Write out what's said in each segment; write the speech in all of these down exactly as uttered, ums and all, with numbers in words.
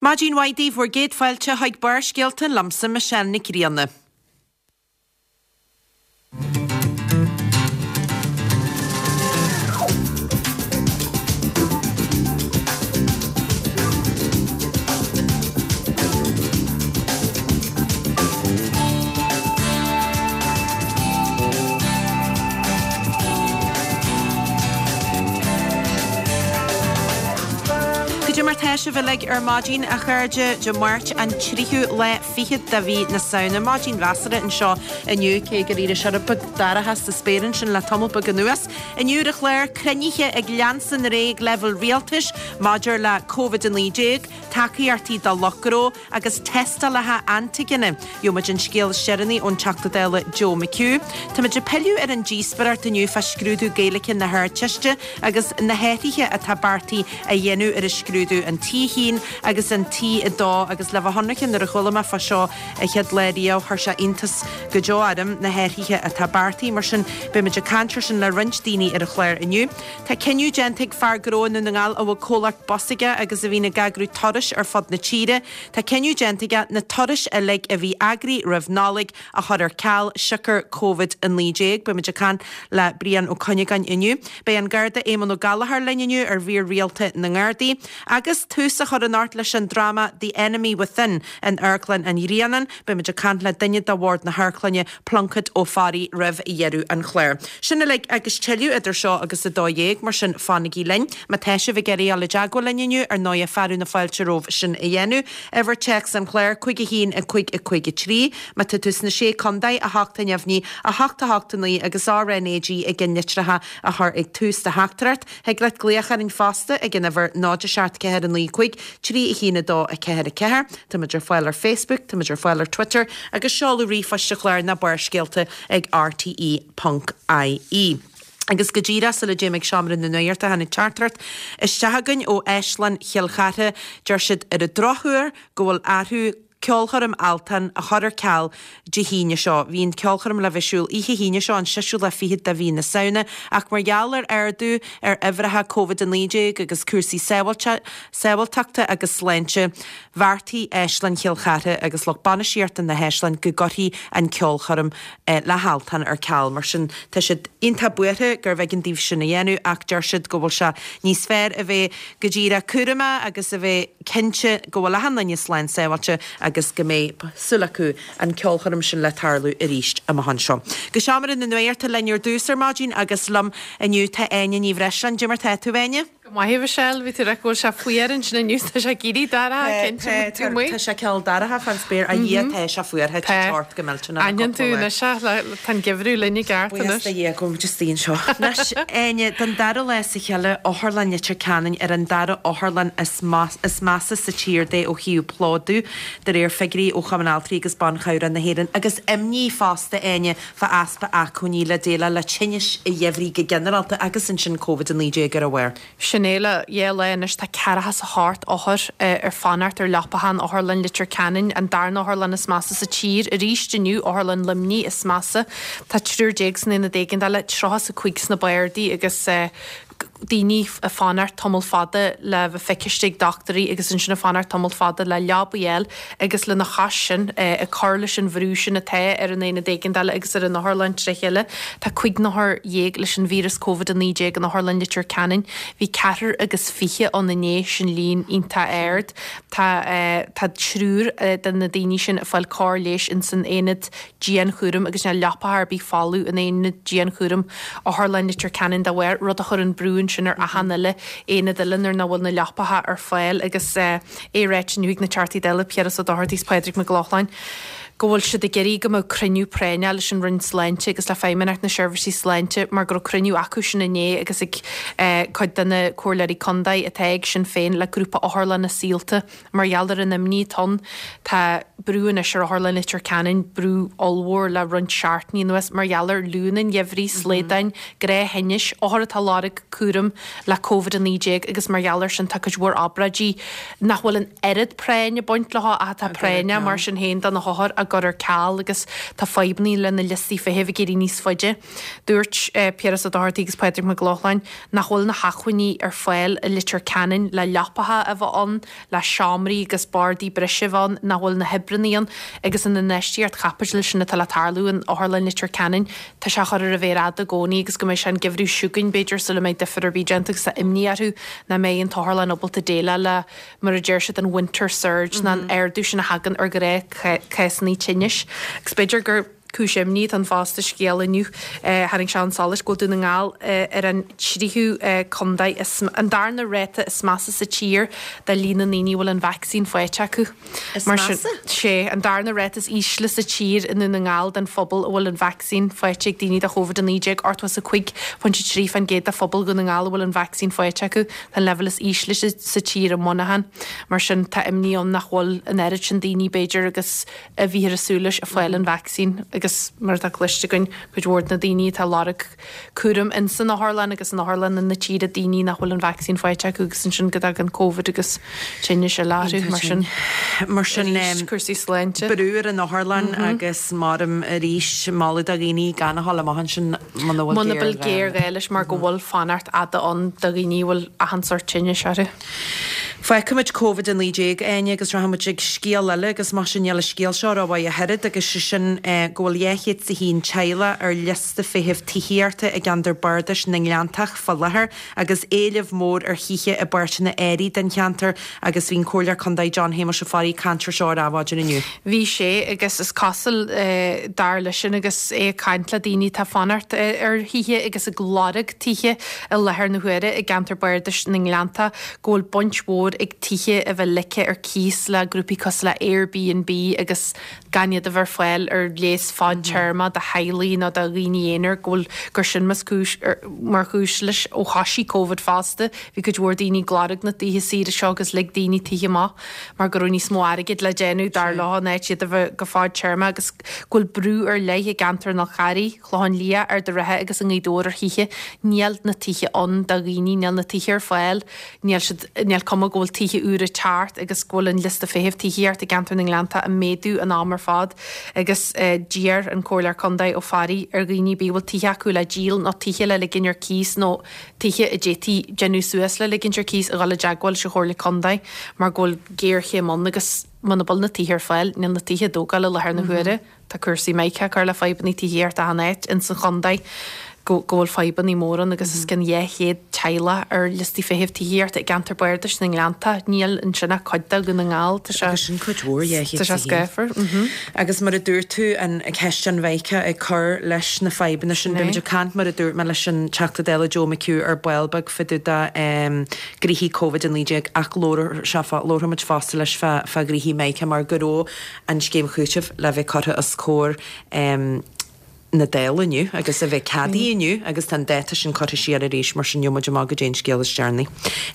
Maidin mhaith daoibh, bhur gcéad fáilte chuig Barrscéalta liomsa Michelle Nic Grianna. Goidé mar tá sibh uilig ar maidin, a chairde, Dé Máirt an tríú lá fichead de mhí na Samhna. Maidin mheasartha anseo inniu, cé gur éirigh sé rud beag dorcha sa spéir ansin le tamall beag anuas. Inniu ar an chlár, cruinnithe ag leanstan ar aghaidh ag leibhéal rialtais maidir le Covid a naoi déag, tacaíochtaí do lucht gnó agus tástálacha antaigine. Gheobhaimid an scéal is deireanaí ón Teachta Dála Joe McHugh. Táimid ag pilleadh ar an díospóireacht inniu fá scrúdú Gaeilge na hArdteiste agus na hathruithe atá beartaithe a dhéanamh ar an scrúdú, an T a haon agus an T a dó agus le bheith ionraic nuair a chuala mé fá seo an chéad lá riamh chuir sé iontas go deo orm na hathruithe atá beartaithe. Mar sin beimid ag caint ar sin le roinnt daoine ar an chlár inniu. Tá cinneadh déanta ag fear gnó i nDún na nGall a bhfuil comhlacht bus aige agus a bhíonn ag eagrú turais ar fud na tíre. Tá cinneadh déanta aige na turais uilig a bhí eagraithe roimh Nollaig a chur ar ceal siocair Covid a naoi déag. Beimid ag caint le Brian Ó Cuinneagáin inniu. Beidh an Garda Éamonn Ó Gallchóir linn inniu ar mhír rialta na nGardaí. Agus tús á chur anocht leis an dráma The Enemy Within in Amharclann an Ghrianáin. Beimid ag caint le duine de bhord na hamharclainne, Pluincéad Ó Fearraigh roimh dheireadh an chláir. Sin uilig agus tuilleadh idir seo agus a dó dhéag, mar sin fanaigí linn. Má tá sibh ag iarraidh dul i dteagmháil linn inniu, ar ndóighe fearadh na fáilte romhaibh sin a dhéanamh. Uimhir téacs an chláir, cúig a haon, a cúig, a cúig a trí. Má tá tú sna Sé Contae, a hocht a neamhní, a hocht a hocht a naoi agus R N A G ag an litreacha a chur ag tús do theachtaireacht. Thig leat glaoch orainn fosta ag an uimhir náid a seacht ceathair a naoi cúig trí a haon a dó a ceathair a ceathair. Táimid ar fáil ar Facebook, táimid ar fáil ar Twitter agus seoladh ríomhphoist an chláir ná Barrscéalta ag R T E ponc I E. Agus go díreach sula dtéim ag seomra na nuachta tháinig teachtaireacht isteach againn ó Áislann Chill Chartha. Deir siad ar an drochuair go bhfuil athrú ceolchoirm Altan a chur ar ceal Dé hAoine seo. Bhí an ceolchoirm le bheith ar siúl oíche hAoine seo, an seisiú lá fichead de mhí na Samhna, ach mar gheall ar ardú ar uimhreacha Covid a naoi déag agus cúrsaí sábháilteachta agus sláinte, bheartaigh Áislann Chill Chartha agus lucht bainistíochta na hÁislainne go gcuirfí an ceolchoirm le hAltan ar ceal. Mar sin, tá siad iontach buartha gurbh éigean daoibh sin a dhéanamh ach deir siad go bhfuil sé níos fearr a bheith go díreach cúramach agus a bheith cinnte go bhfuil achan duine slán sábháilte agus go mbeidh súil acu an ceolchoirm sin le tarlú arís amach anseo. Go seomra na nuachta linn ar dtús ar maidin agus liom inniu tá Áine Ní Bhreisleáin. Goidé mar tá tú, Áine? Go maith, a Mhichelle, bhí tú ag rá go bhfuil sé fuar ansin inniu, tá sé ag éirí dorcha, cinnte, tú amuigh. Tá sé cineál dorcha fán spéir, a Dhia, tá sé fuar, tá sé ort go millteanach le Aithníonn tú cúpla lá. anois é, tá an geimhreadh linn i gceart Buíochas anois. do Dhia go bhfuil muid istigh anseo. Anois, Áine, don dara lá as a chéile, Otharlann Leitir Ceanainn ar an dara otharlann is measa sa tír de ó thaobh plódú, de réir figiúirí ó Chumann Altraí agus Ban Chabhrach na hÉireann, agus imní fosta, Áine, fá easpa acmhainní le déileáil le tinnis an gheimhridh go ginearálta agus ansin Covid a naoi déag ar a bharr. Sin é le dhá lá anois tá ceathracha is a hocht othar ar fanacht ar leapacha in Otharlann Leitir Ceanainn, an darna otharlann is measa sa tír. Arís inniu, Otharlann Luimnigh is measa. Tá triúr déag san aonad éigeandála, tríocha is a cúig sna bardaí agus daoine ag fanacht tamall fada le bheith feiciste ag dochtúirí agus ansin ag fanacht tamall fada le leabaí a fháil agus lena chois sin ag cur leis an bhrú sin atá ar an aonad éigeandála agus ar an otharlann tré chéile. Tá cúig n-othar dhéag leis an víreas Covid a naoi déag in Otharlann Leitir Ceanainn. Bhí ceathrar agus fiche ann inné, sin líon iontach ard. Tá tá triúr de na daoine sin ag fáil cóir leighis ins an aonad dianchúraim agus níl leapacha ar bith folamh in aonad dianchúraim Otharlann Leitir Ceanainn dá bharr, rud a chuireann brú ansin ar achan uile aonad eile nuair nach bhfuil na leapacha ar fáil agus é ráite inniu ag na Teachtaí Dála, Piaras Ó Dochartaigh is Pádraig Mac Lochlainn, go bhfuil siad ag iarraidh go mbeadh cruinniú práinneach leis an Roinn Sláinte agus le Feidhmeannacht na Seirbhísí Sláinte mar go raibh cruinniú acu sin inné agus ag cuid de na comhairleoirí contae atá ag Sinn Féin le grúpa otharlanna Saolta mar gheall ar an imní atá ann. Tá brú anois ar Otharlann Leitir Ceanainn, brú ollmhór le roinnt seachtainí anuas mar gheall ar fhliúnna an gheimhridh, slaodáin, gnáththinnis, othair atá ag lorg cúram le Covid a naoi déag agus mar gheall air sin tá cuid mhór obráidí nach bhfuil an oiread práinn ag baint leo ach atá práinneach mar sin féin do na hothair á gcur ar ceal agus tá fadhbanna le na liostaí feithimh ag éirí níos faide. Dúirt Piaras Ó Dochartaigh agus Pádraig Mac Lochlainn nach bhfuil na hacmhainní ar fáil i Leitir Ceanainn le leapacha a bheith ann, le seomraí agus bardaí breise a bheith ann, nach bhfuil na hoibreanna ann agus an infheistíocht chaipitil sin atá le tarlú in Otharlann Leitir Ceanainn, tá sé á chur ar an mhéar fhada i gcónaí agus go mbeidh sé an geimhreadh seo chugainn b'fhéidir sula mbeidh difear ar bith déanta agus tá imní orthu nach mbeidh an t-otharlann ábalta déileáil le mar a deir siad an winter surge ná an ardú sin a thagann ar ghnáthchásanna tinnis agus b'fhéidir gur cúis imní atá ann fosta scéal inniu. Tháinig sé chun solais go bhfuil Dún na nGall ar an tríú contae is an darna ráta is measa sa tír de líon na ndaoine a bhfuil an vacsaín faighte acu. Is Mar sin, measa? sé an darna ráta is ísle sa tír i nDún na nGall den phobal a bhfuil an vacsaín faighte ag daoine de Covid a naoi déag, ochtó is a cúig pointe trí faoin gcéad de phobal Dhún na nGall a bhfuil an vacsaín faighte acu. Tá an leibhéal is ísle sa tír i Muineachán. Mar sin tá imní ann nach bhfuil an oiread sin daoine b'fhéidir agus a bhíothar ag súil leis ag fáil an vacsaín agus mar atá cloiste againn cuid mhór de na daoine atá ag lorg cúram ins an otharlann agus in otharlanna na tíre daoine nach bhfuil an vacsaín faighte acu agus ansin go dtagann Covid agus tinnis eile orthu mar sin. Mar sin Arís cúrsaí sláinte. Brú ar an otharlann agus maram arís moladh do dhaoine gan a dhul amach ansin muna bhfuil Muna bhfuil géarghá leis mar go bhfuil fanacht fhada ann do dhaoine a bhfuil achan sórt tinnis orthu. Fágfaimid Covid a naoi déag, Áine, agus rachaimid ag scéal eile agus mar sin níl an scéal seo rómhaith ach oiread agus sé sin go bhfuil dhá chéad is a haon teaghlach ar liosta feithimh tithíochta i gceantar bardais na nGleanntach fá láthair agus éileamh mór ar thithe i bpáirteanna áirithe den cheantar agus bhí an Comhairleoir Contae John Shéamuis Ó Fearraigh ag caint ar seo ar Adhmhaidin inniu. Bhí sé agus is cosúil dar leis sin agus é ag caint le daoine atá ag fanacht ar thithe agus ag lorg tithe i láthair na huaire i gceantar bardais na nGleanntach go bhfuil baint mhór ag tithe a bheith ligthe ar cíos le grúpaí cosúil le Airbnb agus gan iad a bheith ar fáil ar léas fadtéarma do theaghlaigh nó do dhaoine aonair go bhfuil gur sin mas cúis mar chúis leis ó thosaigh Covid fosta. Bhí cuid mhór daoine ag lorg na tithe saoire seo agus lig daoine tithe amach mar go raibh níos mó airgid le déanamh dar leo in áit iad a bheith go fadtéarma agus go bhfuil brú ar leith i gceantar an Fhál Carraigh, Clochán Liath, Ard an Rátha agus i nGaoth Dobhair ar thithe. Níl na tithe ann do dhaoine, níl na tithe ar fáil, níl siad, níl cuma go bhfuil tithe úra ag teacht agus go bhfuil an liosta feithimh tithíochta i gceantar na nGleannta ag méadú an am ar fad agus d'iarr an Comhairleoir Contae Ó Fearraigh ar dhaoine ar bith a bhfuil tithe acu le díol nó tithe le ligin ar cíos nó tithe a d'fhéadfaí déanamh suas le ligint ar cíos a dhul i dteagmháil leis an Chomhairle Contae mar go bhfuil géarchéim ann agus muna bhfuil na tithe ar fáil níl na tithe á dtógáil i láthair na huaire. Tá cúrsaí Micah ag cur le fadhbanna tithíochta achan áit ins an chontae go go bhfuil fadhbanna móra ann agus os cionn dhá chéad teaghlach ar liostaí feithimh tithíochta i gceantar bardais na nGleannta. Níl ansin ach cuid de Dhún na nGall. Tá sé Agus sin cuid mhór, dhá chéad Tá sé is a haon. scáfar. Mhm. Agus mar a dúirt tú, an cheist an Mhicah ag cur leis na fadhbanna sin. Sin é. Beimid ag caint mar a dúirt mé leis an Teachta Dála Joe McHugh ar ball beag fá dtaobh de ghnoithí Covid a naoi déag ach labharfaimid fosta leis fá ghnoithí Micah mar go raibh an scéim chúitimh le bheith curtha os comhair na Dála inniu agus a bheith ceadaithe inniu agus tá an dáta sin curtha siar arís mar sin gheobhaidh muid amach goidé an scéal is deireanaí.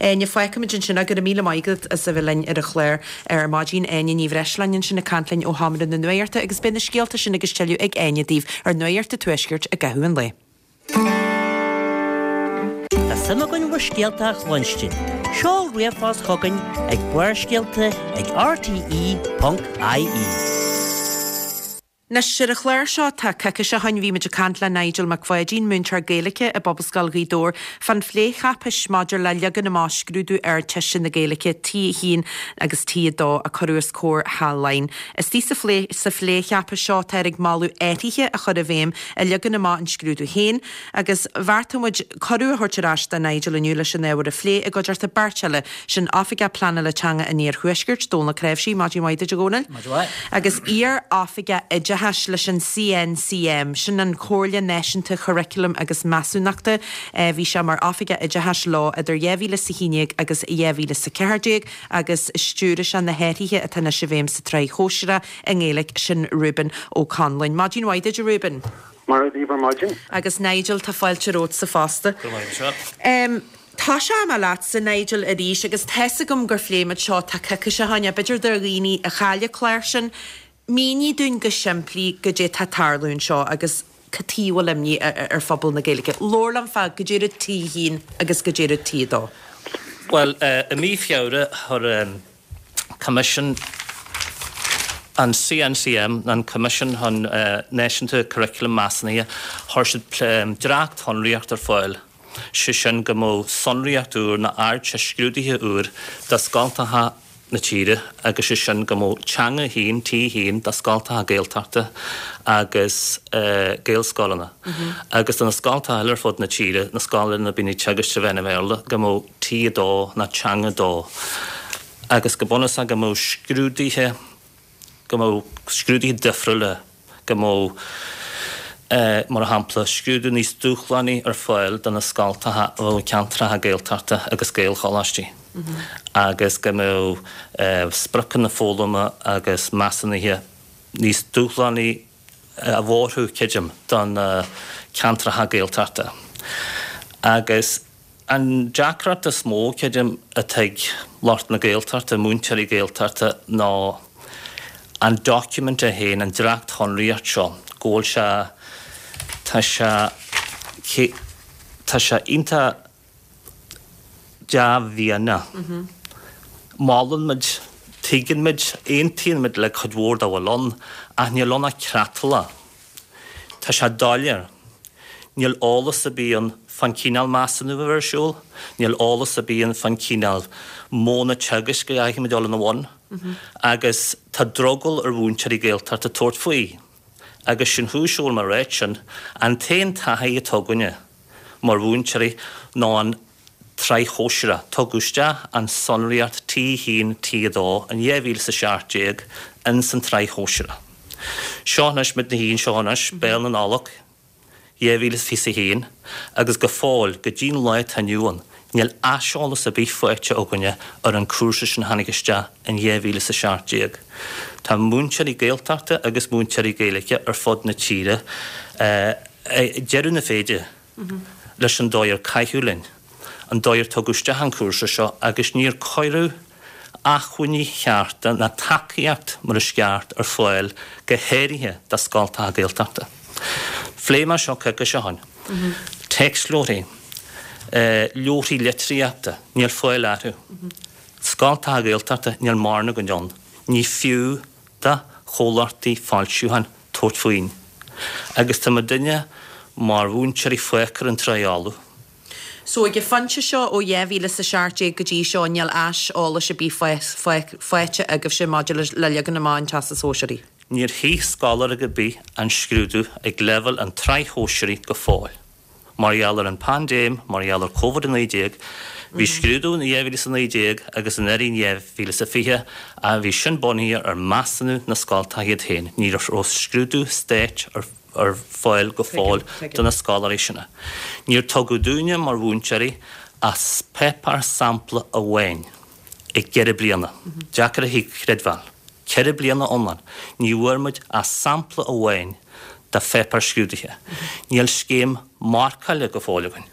Áine, fágfaimid ansin é. Go raibh míle maith agat as a bheith linn ar an chlár ar maidin. Áine Ní Bhreisleáin ansin ag caint linn ó Sheomra na Nuachta agus beidh na scéalta sin agus tuilleadh ag Áine daoibh ar Nuacht an Tuaiscirt i gcaitheamh an lae. Tá suim againn bhur scéalta a chluinstin. Seol ríomhphost chugainn ag Barrscéalta ag R T E ponc I E. Anois ar an chlár seo tá coicís ó shin bhí muid ag caint le Nigel Mac Pháidín, múinteoir Gaeilge i bPobalscoil Ghaoth Dobhair, fán phlécháipéis maidir le leagan amach scrúdú Ardteiste na Gaeilge T a haon agus T a dó a cuireadh os comhair Theach Laighean. Istigh sa phlé sa phlécháipéis seo táthar ag moladh athruithe a chur i bhfeidhm i leagan amach an scrúdú féin agus bheartaigh muid cuireadh a thabhairt ar ais do Nigel inniu leis an ábhar a phlé i gcuideachta beirt eile, sin Oifigeach Pleanála Teanga an Iarthuaiscirt, Dónal Ó Cnáimhsí, maidin mhaith duit a Dhónaill. Maidin mhaith. Agus iar-oifigeach oideachais leis an C N C M, sin an Chomhairle Náisiúnta Churaclaim agus Measúnachta. Bhí sé mar oifigeach oideachais leo idir dhá mhíle is a haon déag agus dhá mhíle is a ceathair déag agus stiúraigh sé na hathruithe atá anois i bhfeidhm sa tsraith shóisearach i nGaeilge, sin Reuben Ó Conluain. Maidin mhaith duit a Reuben. Mar a ar maidin. Agus Nigel, tá fáilte romhatsa fosta. Go raibh maith agat. Um, Tosóidh mé leatsa Nigel arís agus tá's agam gur phléigh muid seo tá coicís ó shin, b'fhéidir do dhaoine a chaill an clár sin, mínigh dúinn go simplí goidé tá ag tarlú anseo agus cad chuige a bhfuil imní ar phobal na Gaeilge. Labhair liom fá goidé rud T a haon agus goidé rud T a dó. Well, i mí Feabhra chuir Coimisiún An C N C M, an Coimisiún chun Náisiúnta Curriculum Measúnaithe, chuir siad dréacht-shonraíocht ar fáil, sé sin go mbeadh sonraíocht úr nó ardteist scrúdaithe úr do scoltacha na tíre agus sé sin go mbeadh teanga haon, T haon, do scoltacha Gaeltachta agus Gaelscoileanna agus do na scoltacha eile ar fud na tíre, na scoileanna a bhíonn ag teagasc trí mheán an Bhéarla, go mbeadh T a dó nó teanga dó agus go bunúsach go mbeadh scrúduithe go mbeadh scrúduithe difriúla, go mbeadh, mar shampla, scrúdú níos dúshlánaí ar fáil do na scoltacha a bheadh i gceantracha Gaeltachta agus Gaelcholáistí agus go mbeadh spriocanna foghlama agus measúnaithe níos dúshlánaí a bhorthú, creidim, do na ceantracha Gaeltachta. Agus an deacracht is mó, creidim, atá ag lucht na Gaeltachta, múinteoirí Gaeltachta, ná an document é féin, an dréacht-shonraíocht seo, go bhfuil sé, tá sé, tá sé iontach dea-mhianach. Molann muid, tuigeann muid, aontaíonn muid le cuid mhór dá bhfuil ann, ach níl ann ach creatlach. Tá sé doiléir. Níl eolas ar bith ann fán chineál measúnú a bheidh ar siúl, níl eolas ar bith ann fán chineál modhanna teagaisc a chaithfimid dul ina bhun, agus tá drogall ar mhúinteoirí Gaeltachta tabhairt faoi. Agus sin chúis a bhfuil mé ag ráit sin, an t-aon taithí atá againne mar mhúinteoirí ná an tsraith shóisearach. Tugadh isteach an sonraíocht T haon, T a dó in dhá mhíle is a seacht déag ins an tsraith shóisearach. Seo anois muid ina shuí anseo anois, béal na Nollag, dhá mhíle is fiche a haon, agus go fóill, go dtí'n lá atá inniu ann, níl aiseolas ar bith faighte againne ar an chúrsa sin a tháinig isteach in dhá mhíle is a seacht déag. Tá múinteoirí Gaeltachta agus múinteoirí Gaeilge ar fud na tíre ag deireadh na féide leis an dóigh ar caitheadh linn, an dóigh ar tugadh isteach an cúrsa seo agus níor cuireadh acmhainní chearta ná tacaíocht mar is ceart ar fáil go háirithe do scoltacha Gaeltachta. Phléigh mé seo coicís ó shin. Téacsleabharthaí, leabharthaí litríochta, níl fáil orthu. Scoltacha Gaeltachta, níl mórán againn ann. Ní fiú do chomhlachtaí foilsiúcháin tabhairt faoin. Agus tá muidinne mar mhúinteoirí fágtha ar an trá fholamh. So ag an phointe seo ó dhá mhíle is a seacht déag go dtí seo níl aiseolas ar bith faighte agaibhse maidir le leagan amach an Teastais Shóisearaigh? Níor shuigh scoláire ar bith an scrúdú ag leibhéal an tsraith shóisearaigh go fóill. Mar gheall ar an bpaindéim, mar gheall ar Covid a naoi déag, bhí scrúdú in dhá mhíle is a naoi déag agus anuraidh in dhá mhíle is a fiche ach bhí sin bunaithe ar mheasúnú na scoltacha iad féin. Ní raibh scrúdú stáit ar ar fáil go fóill do na scoláirí sin. Níor tugadh dúinne mar mhúinteoirí ach páipéar sampla amháin i gceithre bliana. Deacair a chreidbheáil. Ceithre bliana iomlán. Ní bhfuair muid ach sampla amháin de pháipéar scrúdaithe. Níl scéim marcála go fóill againn.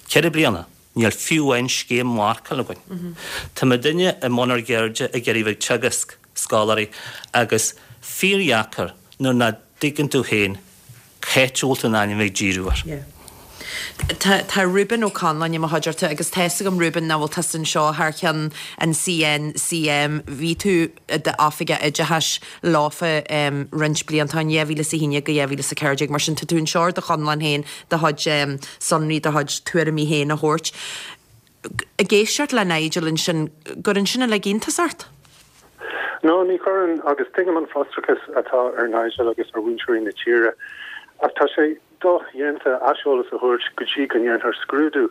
Ceithre bliana. Níl fiú amháin scéim marcála againn. Tá muidinne i mbun ár gceirde ag iarraidh bheith ag teagasc scoláirí agus fíordheacair nuair nach dtuigeann tú féin cá háit a bhfuil tú in ainm ag díriú air. Tá tá Reuben Ó Conláin i mo chuideachta agus tá 'fhios agam Reuben nach bhfuil tusa anseo thar cheann an C N C M. Bhí tú i d'oifigeach oideachais leofa um, roinnt blianta in dhá mhíle is a haon déag go dhá mhíle is a ceathair déag mar sin tá tú anseo ar do chonlán féin do chuid um, sonraí do chuid tuairimí féin a thabhairt. Ag éisteacht le Nigel ansin gcuireann sin uilig iontas ort? No, ní chuireann agus tuigim an frustrachas atá ar Nigel agus ar mhúinteoirí na tíre. Ach tá sé dodhéanta aiseolas a thabhairt go dtí go ndéantar scrúdú.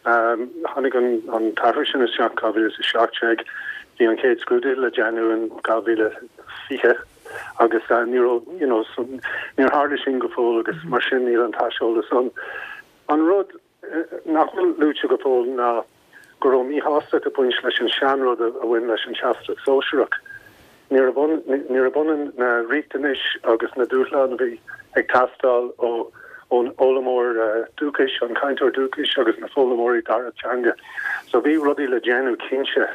Um, tháinig an, an t-athrú sin isteach dhá mhíle is a seacht déag bhí an chéad scrúdú le déanamh in dhá mhíle fiche agus uh, ní you know, so, níor tharla sin go fóill agus mar sin níl an t-aiseolas ann. An rud eh, nach bhfuil luaite go fóill ná go raibh míshástacht ag baint leis an seanrud a bhain leis an Teastas Sóisearach. Níor b'ionann na riachtanais agus na dúshláin a bhí ag teastáil ó ón fhoghlaimeoir uh, dúchais an cainteoir dúchais agus na foghlaimeoirí dara teanga. So bhí rudaí le déanamh cinnte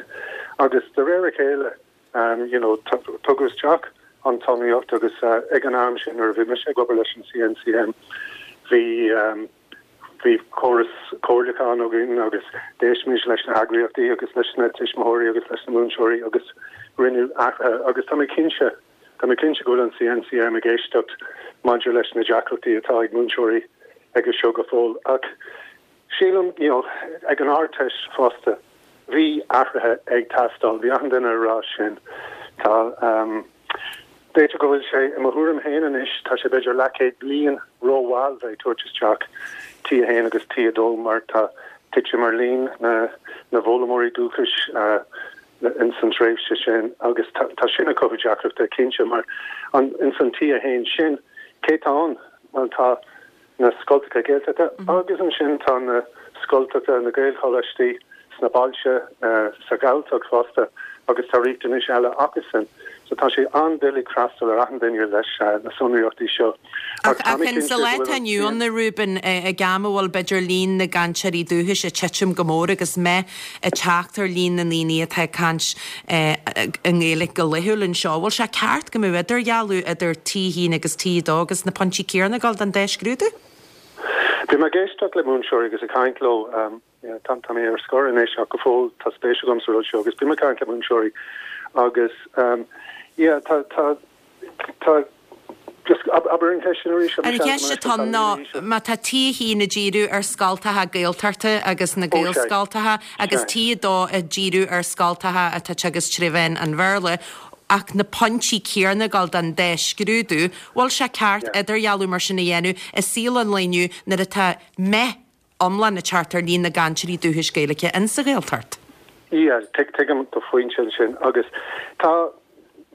agus de réir a chéile um, you know, tugadh isteach an tsonraíocht agus uh, ag an am sin nuair a bhí mise ag obair leis an C N C M bhí um, bhí córas comhairliúcháin againn agus d'éist muid leis na heagraíochtaí agus leis na tuismitheoirí agus leis na múinteoirí agus rinneadh athruithe agus tá mé cinnte Tá mé cinnte go bhfuil an C N C M ag éisteacht maidir leis na deacrachtaí atá ag múinteoirí agus seo go fóill. Ach sílim you know, ag an Ardteist fosta, bhí athruithe ag teastáil, bhí achan duine ag rá sin. Tá um, B'fhéidir go bhfuil sé i mo thuairim féin anois tá sé b'fhéidir leathchéad bliain rómhall bheith tabhairt isteach T a haon agus T a dó mar tá titim ar líon na na bhfoghlaimeoirí dúchais uh, in san tréimhse sin agus tá sin ag cothú deacrachta cinnte mar an in san T a haon sin cé tá ann well tá na scoltacha Gaeltachta mm -hmm. agus ansin tá na scoltacha na Gaelcholáistí sna bailte uh, sa Ghaeltacht fosta agus tá riachtanais eile acusan. So tá sé an-doiligh freastal ar achan duine leis uh, na sonraíochtaí seo. Ach sa lá atá inniu ann a Reuben ag am a bhfuil b'fhéidir líon na gcainteoirí dúchais ag titim go mór agus meath ag teacht ar líon na ndaoine atá ag caint i nGaeilge go laethúil anseo. Bhfuil sé ceart go mbeadh idirdhealú idir T haon agus T dó agus na pointí céanna ag gabháil don dá scrúdú? Bhí mé ag éisteacht le múinteoirí agus ag caint leo um, tá tá mé ar scor anois ach go fóill tá spéis agam sa rud seo agus bím ag caint le múinteoirí agus um, yeah, tá tá tá just abair an cheist arís An cheist atá ná má tá T haon ag díriú ar scoltacha Gaeltachta agus na Gaelscoltacha agus T dó ag díriú ar scoltacha atá teagasc trí mheán an Bhéarla, ach na pointí céanna ag gabháil don dá scrúdú, bhfuil sé ceart idirdhealú mar sin a dhéanamh i saol an lae inniu nuair atá meath iomlán ag teacht ar líon na gcainteoirí dúchais Gaeilge in sa Ghaeltacht. Yeah, tuigim do phointe sin agus tá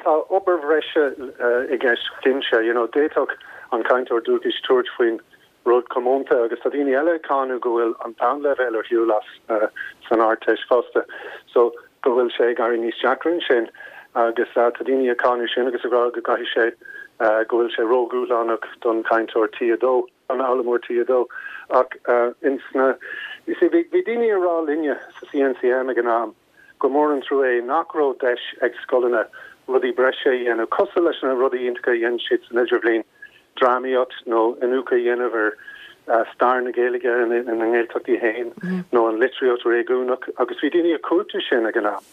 tá obair bhreise uh, i gceist cinnte, you know, d'fhéadfadh an cainteoir dúchais tabhairt faoin rud comónta agus tá daoine eile ag cáineadh go bhfuil an bonnleibhéal ar shiúl as uh, san Ardteist fosta. So go bhfuil sé ag éirí níos deacra sin agus uh, tá daoine ag cáineadh sin agus ag rá go gcaithfidh sé uh, go bhfuil sé ródhúshlánach don cainteoir T a dó an fhoghlaimeoir T a dó ach uh, insna you see bhí daoine ag rá linne sa C N C M ag an am go mór an trua é nach raibh deis ag scoileanna rudaí breise a dhéanamh cosúil leis na rudaí iontacha a dhéan siad san idirbhliain drámaíocht nó iniúchadh a dhéanamh ar uh, stair na Gaeilge in na nGaeltachtaí féin mm -hmm. nó an litríocht réigiúnach agus bhí daoine ag cuartú sin ag an am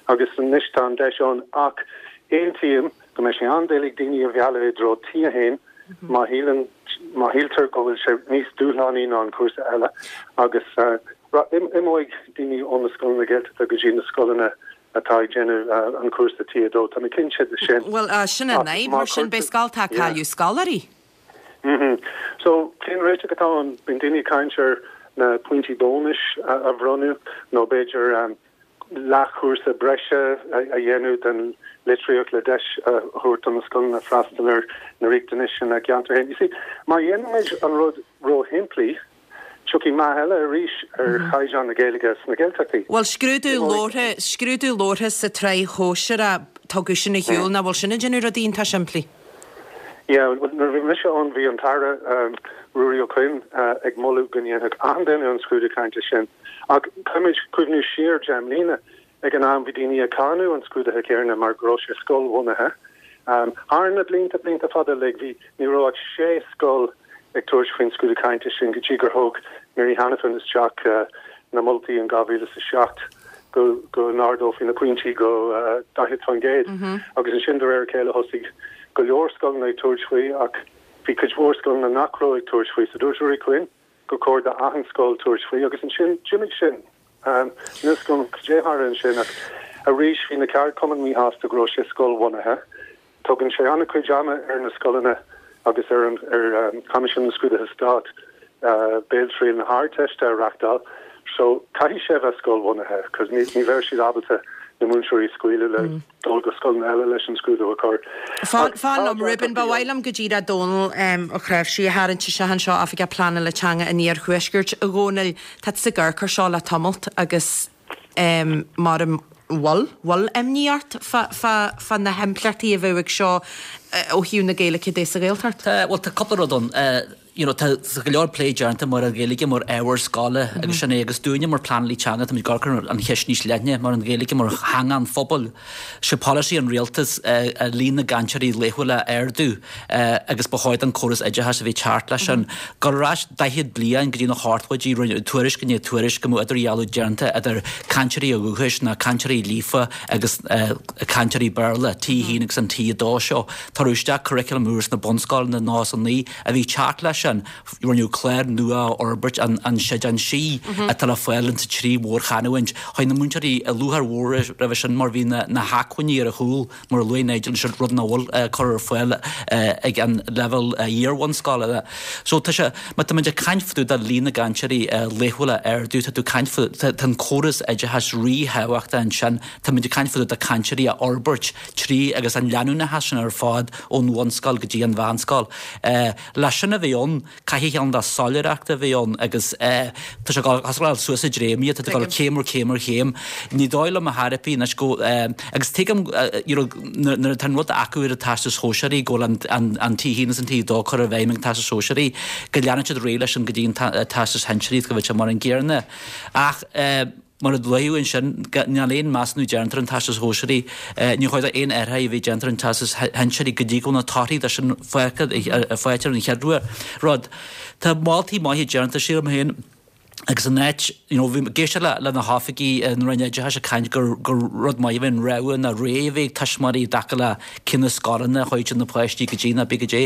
agus anois tá an deis ann ach aontaím go mbeidh sé an-doiligh daoine a mhealladh i dtreo T a haon má shíleann má shíltear go bhfuil sé níos dúshlánaí ná an cúrsa eile agus uh, imeoidh daoine ó na scoileanna Gaeltachta go dtí na scoileanna atá ag déanamh uh, an cúrsa T a dó Tá mé cinnte de sin. Well uh, sin an é mar sin beidh scoltacha ag cailleadh scoláirí. Mm -hmm. So cén réiteach atá ann bíonn daoine ag caint ar na pointí bónais a, a bhronnadh nó b'fhéidir um, leathchúrsa breise a dhéanamh den litríocht le deis a thabhairt na scoileanna freastal ar na riachtanais na gceantar féin. You see, má dhéanaimid an rud róshimplí, tiocfaidh meath eile arís ar mhm. chaighdeán na Gaeilge sna Gaeltachtaí. Well scrúdú labhartha scrúdú labhartha sa tsraith shóisearach tugadh sin ar shiúl nach bhfuil sin ag déanamh rudaí iontach simplí. Yeah, nuair bhí mise ann bhí an tAire um, Ruairí Ó Cuinn uh, ag moladh go ndéanfadh achan duine an scrúdú cainte sin. Ach caithfimid cuimhneamh siar deich mbliana ag an am bhí daoine ag cáineadh an scrúdaithe céanna mar go raibh sé scoilbhunaithe. Um, Thar na blianta blianta fada le bhí ní raibh ach sé scoil ag tabhairt faoin scrúdú cainte sin go dtí gur thug Mary Hanafin isteach uh, na moltaí in dhá mhíle a seacht go go n-ardófaí na pointí go uh, daichead faoin gcéad mm -hmm. agus ansin de réir a chéile thosaigh go leor scoileanna ag tabhairt faoi ach bhí cuid mhór scoileanna nach raibh ag tabhairt faoi sa dúirt Ruairí Quinn gur chóir d'achan scoil tabhairt faoi agus ansin d'imigh sin um, nus go déhar sin ach arís bhí na ceardchumainn míshásta go raibh sé scoilbhunaithe. Tugann sé an-chuid ama ar na scoileanna agus ar an ar um, Coimisiún na Scrúduithe Stáit uh, béaltriail na hArdteiste a reáchtáil, so caithfidh sé bheith scoilbhunaithe, cos ní ní bheidh siad ábalta na múinteoirí a scaoileadh le mm. dul go scoil eile leis an scrúdú a chur. Fan liom Reuben ba mhaith liom go díreach Dónal Ó Cnáimhsí a tharraingt isteach anseo Oifigeach Pleanála Teanga an Iarthuaiscirt a Dhónaill tá sa gcur seo le tamalt agus um, mar bhfuil bhfuil imní ort fá na himpleachtaí a bheadh ag seo ó thaobh na Gaeilge de sa Ghaeltacht? Well tá cúpla rud ann. you know, tá go leor plé déanta mar an Ghaeilge mar ábhar scoile agus sin é agus dúinne mar pleanálaí teanga tá muid ag cur an cheist níos leithne mar an Ghaeilge mar theanga an phobail. Sé polasaí an rialtas uh, líon na gcainteoirí laethúla a ardú uh, agus ba chóir don córas oideachais a bheith ag teacht leis sin. Go ar ais daichead bliain go dtí na hochtóidí tuairisc i ndiaidh tuairisc go mbeadh idirdhealú déanta idir cainteoirí ó dhúchas na cainteoirí líofa agus uh, cainteoirí Béarla T a haon agus an T a dó seo. Tá isteach curriculum úr sna bunscoileanna ná san ní a bhí teacht leis sin rinneadh clár nua a fhorbairt an an Seideán Sí atá le fáil insa trí mhórchanúint. Chuaigh na múinteoirí i lúcháir mhór roimhe sin mar bhí na na hacmhainní ar a chúl mar a luaigh Nigel sin rud nach bhfuil cur ar fáil ag an leibhéal iar-bhunscoile. So tá sé má tá muid ag caint fá dtaobh de líon na gcainteoirí laethúla a ardú tá tú caint fá tá an córas oideachais ríthábhachtach ansin tá muid ag caint fá dtaobh de cainteoirí a fhorbairt trí agus an leanúnachas sin ar fad ón bhunscoil go dtí an mheánscoil. Leis sin a bheith ann caithfidh an dá soiléireacht a bheith ann agus tá sé ag suas i dtréimí tá go céim ar chéim ar chéim. Ní dóigh liom a thairpí anois go agus tuigim nuair atá an rud acu ar an Teastas Sóisearaí go bhfuil an T a haon is an T a dó curtha i bhfeidhm ag an Teastas Sóisearaí go leanann siad réidh leis an go dtí an Teastas Shinsearaí go bhfuil sé mar an gcéanna. Ach mar a luadh ansin, níl aon measúnú déanta ar an Teastas Shóisearaí, ní chóir aon athruithe a bheith déanta ar an Teastas Shinsearaí go dtí go bhfuil na torthaí de sin faighte ar an chéad rud. Tá moltaí maithe déanta, sílim féin, agus an áit, you know, bhí ag éisteacht le le na hoifigigh na Roinne Oideachais ag caint gur gur rud maith a bheith an rogha ná ré a bheith ag tuismitheoirí i dtaca le cé na scoileanna a chuideann na páistí go dtí ná bí go dtí.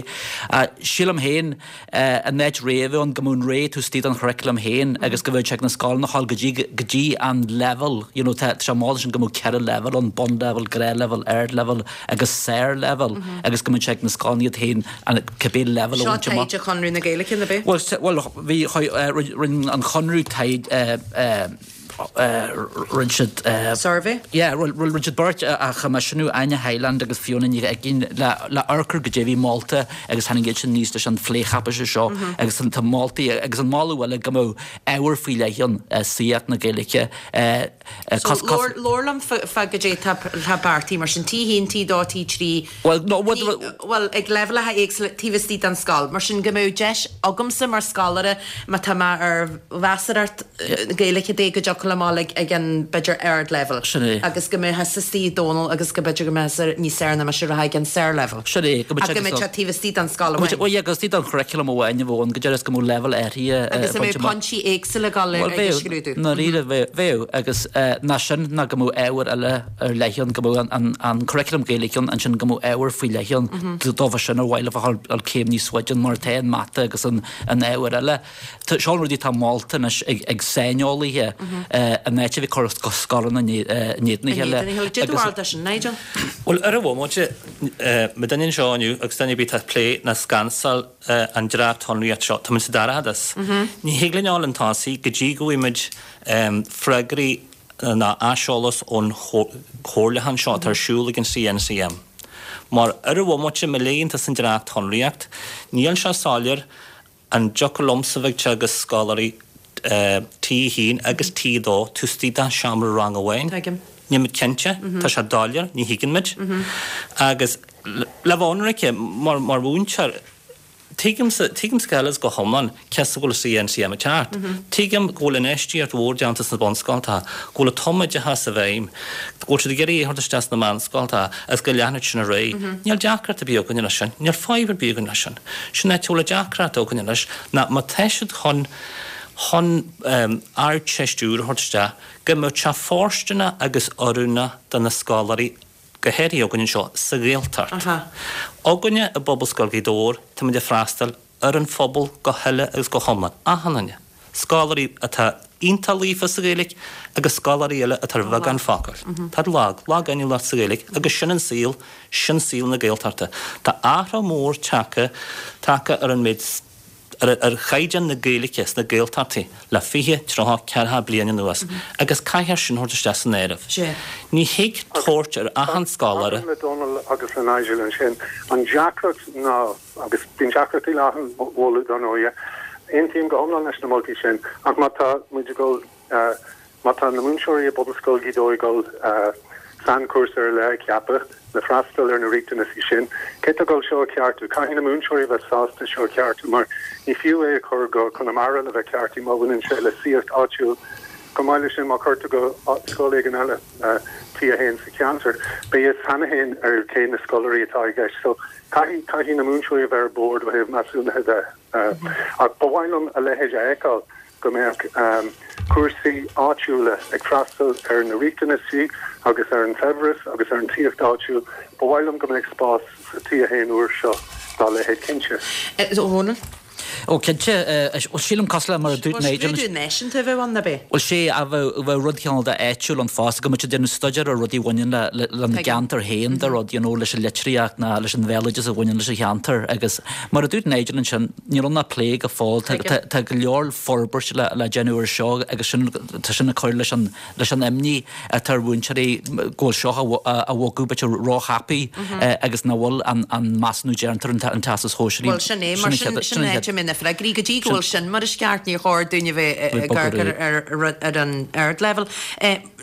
Sílim féin, an áit ré a bheith ann, go mbeadh an ré taobh istigh den churriculum féin agus go mbeadh sé ag na scoileanna a ghabháil go dtí go dtí an leibhéal, you know, tá sé molta sin go mbeadh ceithre leibhéal ann, bunleibhéal, gnáthleibhéal, ardleibhéal agus sárleibhéal agus go mbeadh sé ag na scoileanna iad féin an cibé leibhéal a Seo bhaint amach. taighde Chonradh na Gaeilge, ab ea? Bhuel, bhuel, bhí, rinne an Conradh taighde, rinne siad. Survey? Yeah, rinne siad beirt a choimisiúnú, Áine Hyland agus Fiona Ní Uiginn, le amharc ar goidé a bhí molta agus tháinig iad sin aníos leis an phlécháipéis seo agus tá moltaí agus an moladh eile go mbeadh ábhar faoi leith ann, saíocht na Gaeilge. So labhair liom fá goidé tá beartaithe mar sin, T a haon, T dó, T trí, Bhuel, no, bhuel, ag leibhéalacha éagsúla taobh istigh den scoil. Mar sin go mbeadh deis agamsa mar scoláire má tá mé ar mheasarthacht Gaeilge de go dtiocfadh liom dul ag an b'fhéidir ardleibhéal. Sin é. Agus go mbeadh istigh Dónal agus go b'fhéidir go mbeadh níos fearr ná mise a rá ag an sárleibhéal. Sin é, go mbeadh Ach go mbeadh sé taobh istigh den scoil amháin. Bhuel, yeah, agus istigh den churriculum amháin a bheadh ann, go deireadh is go mbeadh leibhéal áirithe Agus a mbeadh pointí éagsúla ag dul ag an scrúdú. I ndáiríre bheadh, agus ná sin ná go mbeadh ábhar eile ar leith ann, go mbeadh an curriculum Gaeilge ann, ansin go mbeadh ábhar faoi leith ann dóibh sin ar mhaith leo a dhul céim níos faide mar atá an mata agus an ábhar eile. Seo an rudaí atá molta anois ag saineolaithe in áit a bheith ag cur scoileanna in éadan a chéile. Cad é do bharúil de sin, Nigel? Bhuel, ar an bhomaite, muidinne anseo inniu agus duine ar bith atá ag plé ná scansáil an dréachtshonraíocht seo, táimid sa dorchadas. Ní thig linn a dhul chun tosaigh go dtí go bhfaighimid freagraí ná aiseolas ón chomhairliúchán seo atá ar siúl ag an CNCM. Mar ar an bhomaite, má léann tusa an dréachtshonraíocht, níl sé soiléir an dtiocfadh liomsa bheith ag teagasc scoláirí T a haon agus T a dó taobh istigh de sheomra ranga amháin. Tuigim. Níl muid cinnte, tá sé doiléir, ní thuigeann muid. Agus le bheith ionraic, mar mhúinteoir, tuigimse, tuigimse go huile is go hiomlán cén fáth go bhfuil CNCM ag teacht. Tuigim go bhfuil infheistíocht mhór déanta sna bunscoltacha, go bhfuil an tumoideachas i bhfeidhm, go bhfuil siad ag iarraidh é a thabhairt isteach sna meánscoltacha agus go leanfaidh sin ar aghaidh. Níl deacracht ar bith againne leis sin. Níl fadhb ar bith againn leis sin. Sin áit a bhfuil an deacracht againne leis ná má tá siad chun chun Ardteist úr a thabhairt isteach, go mbeadh sé fóirsteanach agus oiriúnach do na scoláirí, go háirithe againne anseo sa Ghaeltacht. Againne i bPobalscoil Ghaoth Dobhair, táimid ag freastal ar an phobal go huile agus go hiomlán, achan duine, scoláirí atá iontach líofa sa Ghaeilge agus scoláirí eile atá ar bheagán focal. Tá lag, lag-inniúlacht sa Ghaeilge agus sin an saol, sin saol na Gaeltachta. Tá athrú mór tagtha, tagtha ar an méid ar chaighdeán na Gaeilge sna Gaeltachtaí le fiche, tríocha, ceathracha bliain anuas agus caithfear sin a thabhairt isteach san áireamh. Ní thig tabhairt ar achan scoláire. Tagaim le Dónal agus le Nigel ansin. An deacracht ná, agus bíonn deacrachtaí le achan mholadh dar ndóighe, aontaím go hiomlán leis na moltaí sin, ach má tá muid ag dul, má tá na múinteoirí i bPobalscoil Ghaoth Dobhair ag dul Sainchúrsa ar leith a cheapadh le freastal ar na riachtanaisí sin. Cé atá ag dul seo a cheartú? Caithfidh na múinteoirí a bheith sásta seo a cheartú mar ní fiú é a chur go Conamara le bheith ceartaithe má bhaineann sé le saíocht áitiúil. Chomh maith leis sin, má chuirtear go scoil éigin eile T a haon sa cheantar, beidh fhios cheana féin ar cé na scoláirí atá i gceist. So caithfidh caithfidh na múinteoirí a bheith ar bord ó thaobh measúnaithe de. Ach ba mhaith liom a leithéid a fheiceáil, go mbeadh cúrsaí áitiúla ag freastal ar na riachtanaisí agus ar an saibhreas agus ar an tsaíocht áitiúil. Ba mhaith liom go mbeadh spás sa T a haon úr seo dá leithéid cinnte. A Dhónaill? Ó cinnte, bhuel sílim cosúil le mar a dúirt Nigel. Bhuel scrúdú náisiúnta a bheadh ann, ab é? Bhuel sé, a bheadh, bheadh rud cineál de áitiúil ann fosta, go mbeadh siad ag déanamh staidéar ar rudaí a bhaineann le, lena gceantar féin de rud, you know, leis an litríocht ná leis an bhéaloideas a bhaineann leis an cheantar agus mar a dúirt Nigel ansin, níl ann ach plé go fóill, tá, tá, tá go leor forbairt le, le déanamh ar seo agus sin, tá sin ag cur leis an, leis an imní atá ar mhúinteoirí go bhfuil seo á bhogadh b'fhéidir róthapaidh agus nach bhfuil an, an measúnú déanta ar an, an Teastas Shóisearaigh. Bhuel sin é, mar sin, sin an áit a mbeidh na freagraí. Go dtí go bhfuil sin mar is ceart, níor chóir dúinn a bheith ag amharc ar, ar, ar an ardleibhéal.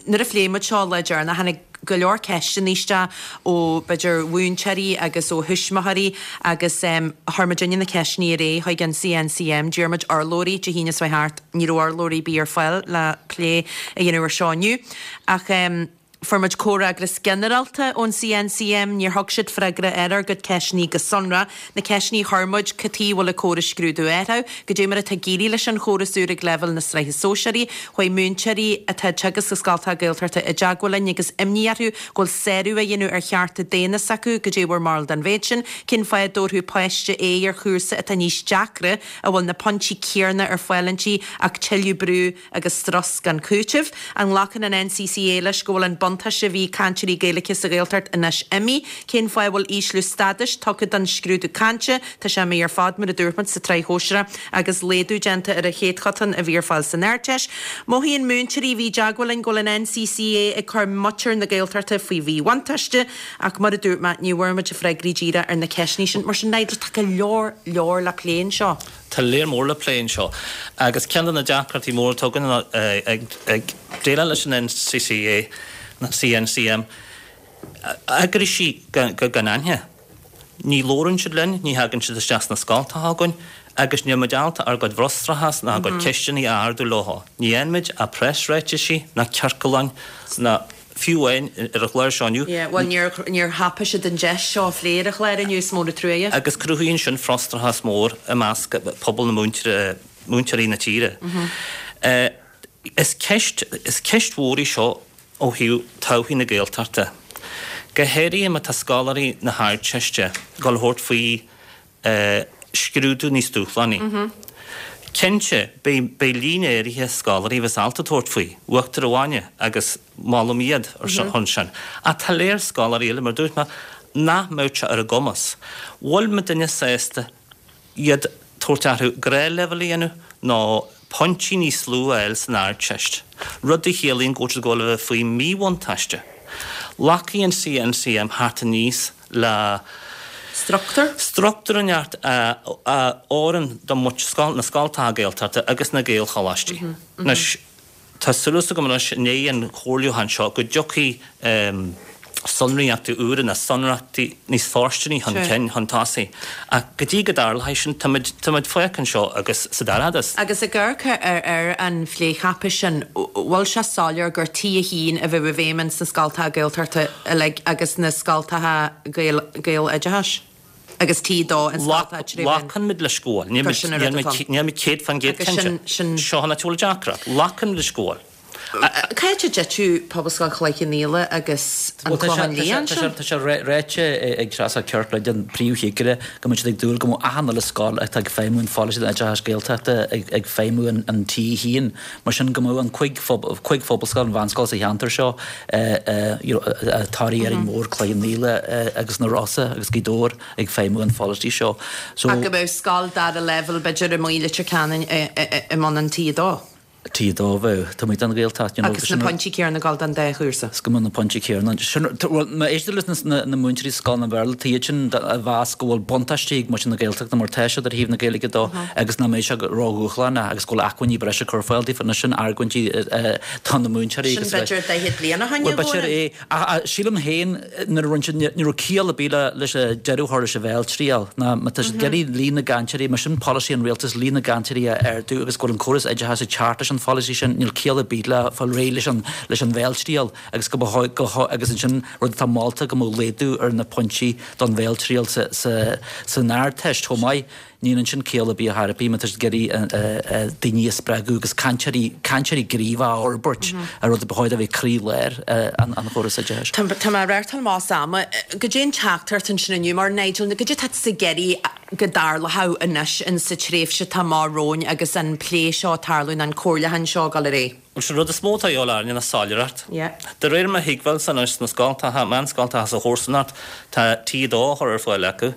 Nuair a phléigh muid seo lá deireanach, tháinig go leor ceisteanna isteach ó, b'fhéidir, mhúinteoirí agus ó thuismitheoirí agus chuir muidinne na ceisteanna ar aghaidh chuig an CNCM. D'iarr muid urlabhraí Dé hAoine seo thart. Ní raibh urlabhraí ar bith ar fáil le plé a dhéanamh ar seo inniu. Ach fuair muid comhfhreagras ginearálta ón CNCM. Níor thug siad freagra ar ár gcuid ceisteanna go sonrath. Na ceisteanna a chuir muid, cad chuige a bhfuil an córas scrúdú á athrú? Goidé mar atá ag éirí leis an chóras úr ag leibhéal na sraithe sóisearaí? Chuaigh múinteoirí atá ag teagasc i scoltacha Gaeltachta i dteagmháil linn agus imní orthu go bhfuil sárú á dhéanamh ar chearta daonna s'acu. Goidé bhur mbarúil den mhéid sin? Cén fáth a dtabharfadh páiste A ar chúrsa atá níos deacra, a bhfuil na pointí céanna ar fáil inti ach tuilleadh brú agus strus gan chúiteamh? An nglacann an NCCA leis go bhfuil an buntáiste a bhí ag cainteoirí Gaeilge sa Ghaeltacht anois imithe? Cén fáth a bhfuil ísliú stádais tugtha don scrúdú cainte? Tá sé imithe ar fad, mar a dúirt muid, sa tsraith shóisearach agus laghdú déanta ar an chéadchotán a bhí ar fáil san Ardteist. Mothaíonn múinteoirí a bhí i dteagmháil linn go bhfuil an NCCA ag cur muintir na Gaeltachta faoi mhíbhuntáiste ach mar a dúirt mé, ní bhfuair muid freagraí díreach ar na ceisteanna sin. Mar sin, Nigel, tá go leor leor le plé anseo. Tá lear mór le plé anseo agus ceann de na deacrachtaí móra atá againn ná ag déileáil leis an NCCA, na CNCM, eagraíochtaí gan aithne. Ní labhrann siad linn, ní thagann siad isteach sna scoltacha againn agus níl muid ábalta ár gcuid frustrachas ná ár gcuid ceisteanna a ardú leo. Ní fhaigheann muid ach preasráitisí ná ciorcláin ná fiú amháin ar an chlár seo inniu. Yeah, bhuel níor, níor thapaigh siad an deis seo a phlé ar an chlár inniu, is mór an truaighe. Agus cruthaíonn sin frustrachas mór i measc pobal na múinteoirí, múinteoirí na tíre. Is ceist, is ceist mhór í seo ó thaobh todhchaí na Gaeltachta. Go háirithe má tá scoláirí na hArdteiste ag dul a thabhairt faoi scrúdú níos dúshlánaí. Cinnte, beidh, beidh líon áirithe scoláirí a bheas ábalta tabhairt faoi, uachtar an bhainne, agus molaim iad ar son sin. Ach tá léar scoláirí eile, mar a dúirt mé, nach mbeadh sé ar a gcumas. Bhfuil muidinne sásta iad tabhairt orthu gnáthleibhéal a dhéanamh nó pointí níos lú a fháil san Ardteist, rud a chiallaíonn go bhfuil siad ag dul a bheith faoi mhíbhuntáiste. Glacfaidh an CNCM thart aníos le. Struchtúr? Struchtúr inteacht a oireann do na scoltacha Gaeltachta agus na Gaelcholáistí. Anois, tá súil agam anois i ndiaidh an chomhairliúcháin seo go dtiocfaidh sonraíochtaí úra nó sonraíochtaí níos fóirsteanaí chun cinn, chun tosaigh. Ach go dtí go dtarlóidh sin, táimid, táimid fágtha anseo agus sa dorchadas. Agus ag amharc ar an phlécháipéis sin, bhfuil sé soiléir gur T a haon a bheidh i bhfeidhm ins na scoltacha Gaeltachta uilig agus na scoltacha Gaeloideachais agus T a dó in scoltacha trí mheán? Glacann muid leis go bhfuil. Níl muid céad faoin gcéad cinnte. Seo an áit a bhfuil an deacracht. Glacann muid leis go bhfuil. Cá háit a dtitfeadh Pobalscoil Chloich Cheann Fhaola agus an Clochán Liath ansin? Tá sé ráite ag Treasa Kirkland, an príomhchigire, go mbeidh siad ag dúil go mbeadh achan uile scoil atá ag feidhmiú an pholasaí don oideachas Gaeltachta ag feidhmiú an T a haon. Mar sin go mbeadh an cúig phobalscoil, an mheánscoil sa cheantar seo, Toraigh, Árainn Mhór, Cloich Cheann Fhaola agus na Rosa agus Gaoth Dobhair ag feidhmiú an pholasaí seo. Ach go mbeadh scoil dara leibhéal b'fhéidir i mBaile Leitir Ceanainn i mbun an T a dó. T a dó bheadh taobh amuigh den Ghaeltacht, you know. Agus na pointí céanna ag dul don dá chúrsa. Is go mbeadh na pointí céanna. Sin, bhuel, má éistear leis na, na múinteoirí sa scoileanna Béarla, tá iad sin a mheas go bhfuil buntáistí ag muintir na Gaeltachta mar tá siad ar thaobh na Gaeilge dó agus nach mbeidh sé ró-dhúshlánach agus go bhfuil acmhainní breise curtha ar fáil daofa. Anois sin argóintí do na múinteoirí Sin agus a bheith. b'fhéidir daichead bliain ó shin, Bhuel, b'fhéidir é. Ach sílim féin nuair a rinne siad, ní raibh ciall ar bith le, leis an deireadh a chur leis an bhéaltriail ná má tá siad ag iarraidh líon na gcainteoirí, mar sin polasaí an rialtais líon na gcainteoirí a ardú agus go bhfuil an córas oideachais ag teacht leis an pholasaí sin, níl ciall ar bith le fáil réidh leis an leis an bhéaltriail agus go mba go agus ansin rud atá molta go mbeadh laghdú ar na pointí don bhéaltriail sa sa san Ardteist chomh maith. Níl ansin ciall ar bith ar chor ar bith má tá siad ag iarraidh daoine a spreagadh agus cainteoirí cainteoirí gníomhacha a fhorbairt, an rud a ba chóir a bheith croílár an an chóras oideachais. Tá tá mé ag reáchtáil amach as am. Goidé an teachtaireacht ansin inniu mar Nigel, goidé atá tusa ag iarraidh go dtarlódh anois in sa tréimhse atá amach romhainn agus an plé seo ag tarlú nó an comhairliúchán seo ag dul ar aghaidh? Bhuel, sin rud is mó atá a dhíobháil orainne ná soiléireacht. De réir mo thuigbheáilsa anois sna scoltacha, meánscoltacha sa chomharsanacht, tá T a dó á chur ar fáil acu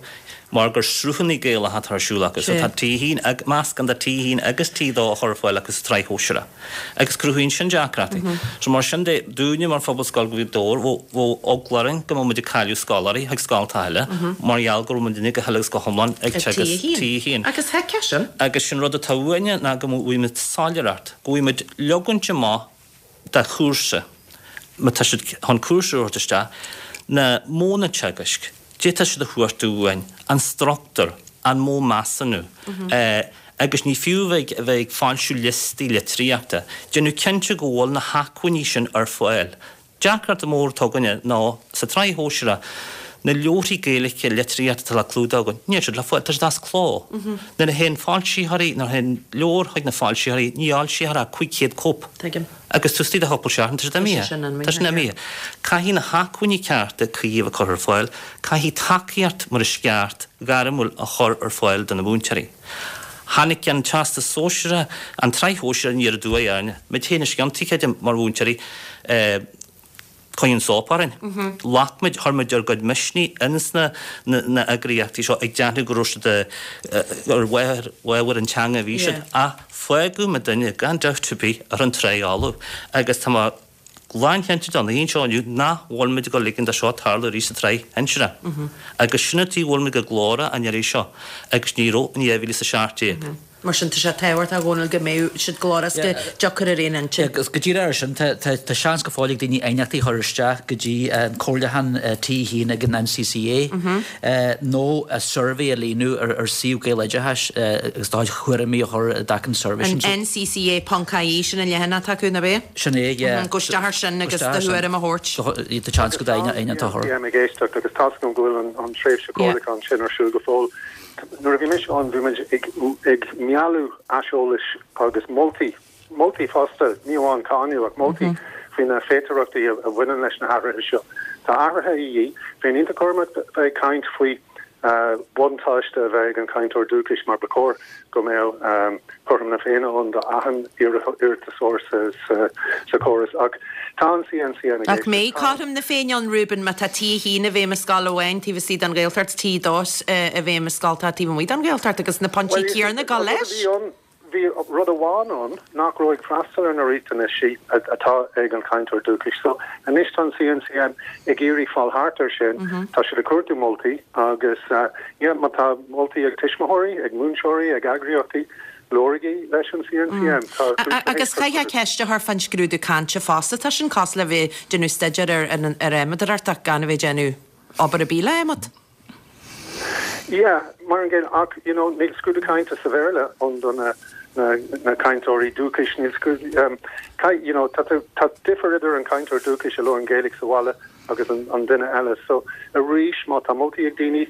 mar gur sruthanna Gaelacha atá ar siúl acu. So tá T a haon, meascán de T a haon agus T a dó á chur ar fáil acu sa tsraith shóisearach. Agus cruthaíonn sin deacrachtaí. So mar sin de, dúinne mar Phobalscoil Ghaoth Dobhair, bheadh eagla orainn go mbeadh muid ag cailleadh scoláirí chuig scoltacha eile mar gheall go raibh muidinne go huile agus go hiomlán ag teagasc T a haon. Agus thuigfeá sin. Agus sin rud atá uainne ná go bhfaighidh muid soiléireacht, go bhfaighidh muid leogaint amach de chúrsa, má tá siad chun cúrsa a thabhairt isteach, na modhanna teagaisc, goidé atá siad a chuartú uainn, an struchtúr, an modh measúnú, agus ní fiú a bheith ag foilsiú liostaí litríochta, déanamh cinnte go bhfuil na hacmhainní sin ar fáil. Deacracht mhór atá againne ná sa tsraith shóisearach, na leabharthaí Gaeilge litríochta atá le clúdach againn, níl siad le fáil, tá siad as cló. Nuair a théann foilsitheoirí, nuair a théann leabhar chuig na foilsitheoirí, ní fhoilsíthear ach cúig chéad cóip. Tuigim. Agus taobh istigh de chúpla seachtain, tá siad imithe. Tá sin imithe. Caithfidh na hacmhainní cearta cuí a bheith curtha ar fáil, caithfidh tacaíocht mar is ceart ghairmiúil a chur ar fáil do na múinteoirí. Tháinig an Teastas Sóisearach, an tSraith Shóisearach aniar aduaidh orainne. Muid féin is ciontaí, creidim, mar mhúinteoirí, coinníonn sop orainn. Ghlac muid, chuir muid ár gcuid misnigh ins na na eagraíochtaí seo ag déanamh go raibh siad ar bharr an teanga a bhí siad, ach fágadh muidinne, gan dabht ar bith, ar an trá fholamh. Agus tá mé lánchinnte den oíche seo inniu nach bhfuil muid ag dul ligean do seo tarlú arís sa tsraith shinsearach. Agus sin an tuige a bhfuil muid go glórach an iarraidh seo agus ní raibh in dhá mhíle is a seacht déag. Mar sin, tá sé tábhachtach, a Dhónaill, go mbeadh siad glórach is go dtiocfar ar aon intinn. Agus go díreach ar sin, tá seans go fóill ag daoine aighneachtaí a chur isteach go dtí an comhairliúchán T a haon ag an N C C A nó suirbhé a líonadh ar suíomh Gaeloideachais agus do chuid thuairimí a chur i dtaca an suirbhé sin. An N C C A ponc I E, sin an leathanach atá acu, nach é? Sin é, yeah. Gabh isteach ar sin agus do thuairim a thabhairt. Tá seans go d'aighneacht a chur. Bím ag éisteacht agus tá's agam go bhfuil an tréimhse comhairliúcháin sin ar siúl go fóill. Nuair a bhí mise ann, bhí muid ag mealladh aiseolais agus moltaí, moltaí fosta, ní amháin cáineadh ach moltaí faoi na féidearthachtaí a bhaineann leis na hathruithe seo. Tá athruithe a dhíth. Bheinn iontach cúramach bheith ag caint faoi bhuntáiste a bheith ag an chainteoir dúchais mar ba chóir go mbeadh cothrom na Féinne ann do achan iarratasóir sa chóras ach tá an C N C M ag Ach mbeidh cothrom na Féinne ann, Reuben, má tá T a haon i bhfeidhm i scoil amháin taobh istigh den Ghaeltacht, T a dó i bhfeidhm i scoil atá taobh amuigh den Ghaeltacht agus na pointí céanna ag dul leis? Bhí rud amháin ann nach raibh ag freastal ar na riachtanaisí atá ag an chainteoir dúchais. So anois tá an C N C M ag iarraidh fáil thart ar sin. Tá siad ag cuartú moltaí agus yeah, má tá moltaí ag tuismitheoirí, ag múinteoirí, ag eagraíochtaí, labhraigí leis an C N C M. Agus chaithfeá ceist a chur fán scrúdú cainte fosta. Tá sin cosúil le bheith ag déanamh staidéar ar ar adhmadóireacht ach gan a bheith ag déanamh obair ar bith le adhmad. Yeah, mar an gcéanna ach you know níl scrúdú cainte sa Bhéarla ann do na na na cainteoirí dúchais, níl scrúdú um, you know tá tá difear idir an cainteoir dúchais a labhrann Gaeilge sa bhaile agus an, an duine eile. So arís má tá moltaí ag daoine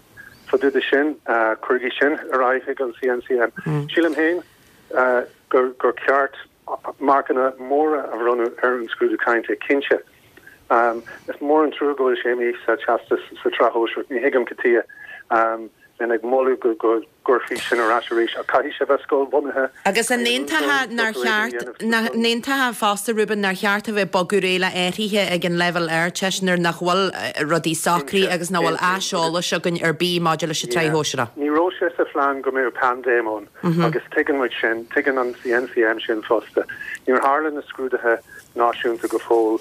fá dtaobh de sin, uh, cuirigí sin ar aghaidh ag an C N C M. Mm. Sílim féin uh, gur gur ceart marcanna móra a bhronnadh ar an scrúdú cainte cinnte. Um, is mór an trua go bhfuil sé imithe sa teastas sa tsraith shóisearach, ní thuigim cad chuige um, bheinn ag moladh go go gcuirfí sin ar ais arís ach caithfidh sé bheith scoilbhunaithe. Agus an aontófá nár cheart aontófá fosta, Reuben, nár cheart a bheith bogadh réidh le athruithe ag an leibhéal Ardteist nuair nach bhfuil rudaí socraithe agus nach bhfuil aiseolas againn ar bith maidir leis an tsraith shóisearach. Ní raibh sé sa phlean go mbeadh paindéim ann agus tuigeann muid sin, tuigeann an C N C M sin fosta. Níor tharla na scrúduithe náisiúnta go fóill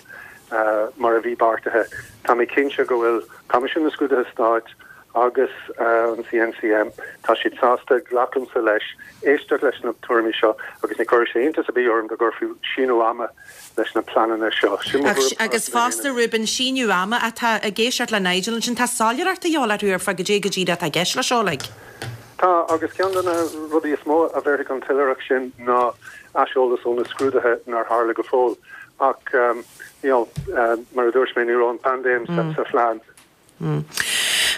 mar a bhí beartaithe. Tá mé cinnte go bhfuil Coimisiún na Scrúduithe Stáit agus an CNCM, tá siad sásta, glacaimse leis, éisteacht leis na tuairimí seo agus ní chuirfeadh sé iontas ar bith orm dá gcuirfí síneadh ama leis na pleananna seo. Sin mo thuairim. Agus fosta, Reuben, síneadh ama atá ag éisteacht le Nigel ansin, tá soiléireacht de dhíobháil orthu ar fad goidé go díreach atá i gceist leis seo uilig. Tá, agus ceann de na rudaí is mó a bhéarfaidh an tsoiléireacht sin ná aiseolas ó na scrúduithe nár tharla go fóill. Ach, you know, mar a dúirt mé, ní raibh an paindéim sa phlean.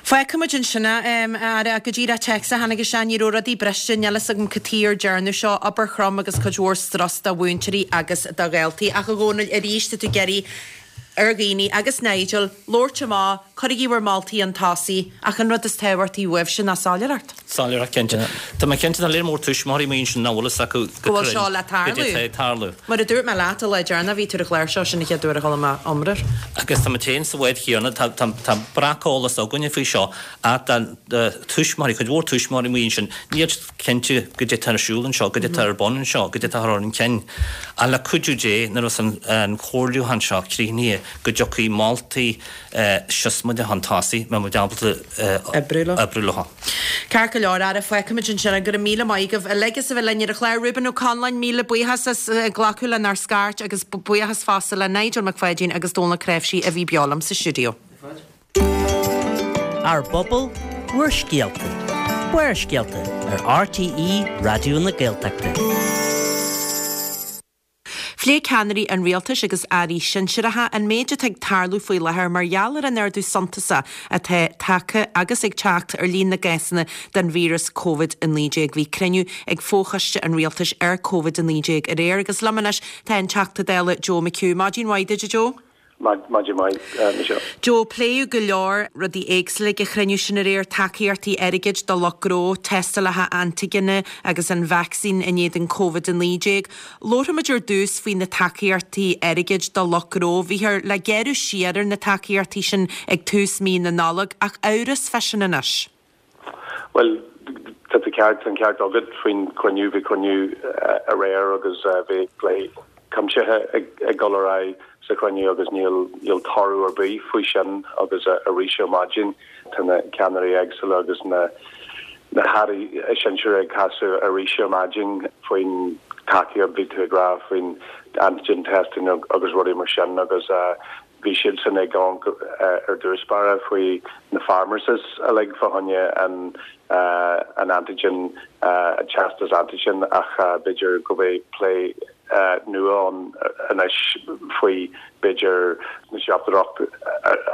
Fágfaimid ansin é, a Aire, go díreach téacs a tháinig isteach, ní raibh rudaí briste, níl fhios agam cad chuige ar dearnadh seo, obair throm agus cuid mhór strus do mhúinteoirí agus do dhaltaí. Ach a Dhónaill, arís, tá tú ag iarraidh ar dhaoine, agus Nigel, labhairt amach, cuirigí bhur moltaí chun tosaigh, ach an rud is tábhachtaí uaibhse ná soiléireacht. Soiléireacht, cinnte. Tá mé cinnte, tá léir mór tuismitheoirí amuigh ansin nach bhfuil fhios acu go bhfuil seo le tarlú. Goidé atá ag tarlú. Mar a dúirt mé leat an lá deireanach, bhí tú ar an chlár seo, sin an chéad uair a chuala mé iomrá air. Agus tá muid féin sa bhád chéanna, tá, tá, tá breaceolas againne faoi seo, ach tá tuismitheoirí, cuid mhór tuismitheoirí amuigh ansin, níl siad cinnte goidé atá ar siúl anseo, goidé atá ar bun anseo, goidé atá ar an cinn. Ach le cuidiú Dé, nuair a bheas an comhairliúchán seo críochnaithe, go dtiocfaidh moltaí siosmaideacha chun tosaigh, mbeidh muid ábalta oibriú leo. Ceart go leor, Ara, fágfaimid ansin é. Go raibh míle maith agaibh uilig as a bheith linn ar an chlár. Reuben Ó Conláin, míle buíochas as glacadh lenár scairt agus buíochas fosta le Nigel Mac Pháidín agus Dónal Ó Cnáimhsí a bhí beo liom sa stiúideo. Ár bpobal, bhur scéalta. Barrscéalta ar RTÉ Raidió na Gaeltachta. Phléigh ceannairí an rialtais agus airí sinsearacha an méid atá ag tarlú faoi láthair mar gheall ar an ardú suntasach atá tagtha agus ag teacht ar líon na gcásanna den víreas Covid a naoi déag. Bhí cruinniú ag Fochoiste an Rialtais ar Covid a naoi déag aréir agus liom anois tá an Teachta Dála Joe McHugh. Maidin mhaith duit, a Joe. Maidin mhaith, Michelle. Joe, pléadh go leor rudaí éagsúla ag an chruinniú sin aréir, tacaíochtaí airgid do lucht gnó, tástálacha antaigine agus an vacsaín in éadan Covid a naoi déag. Labharfaimid ar dtús faoi na tacaíochtaí airgid do lucht gnó. Bhíothar le gearradh siar ar na tacaíochtaí sin ag tús mí na Nollag, ach amhras fá sin anois. Bhuel, tá tú ceart, tá an ceart agat faoin chruinniú. Bhí cruinniú aréir agus bhí plé cuimsithe ag dul ar aghaidh sa chruinniú agus níl níl toradh ar bith faoi sin agus arís ar maidin tá na ceannairí éagsúla agus na na hairí sinsearacha ag casadh arís ar maidin faoin tacaíocht bhí tú ag rá faoin antigen testing agus rudaí mar sin agus bhí siadsan ag amharc ar dtús báire faoi na pharmacies uilig fá choinne an an antigen teastas antigen ach b'fhéidir go mbeidh plé nua ann anois faoi b'fhéidir na siopadóireacht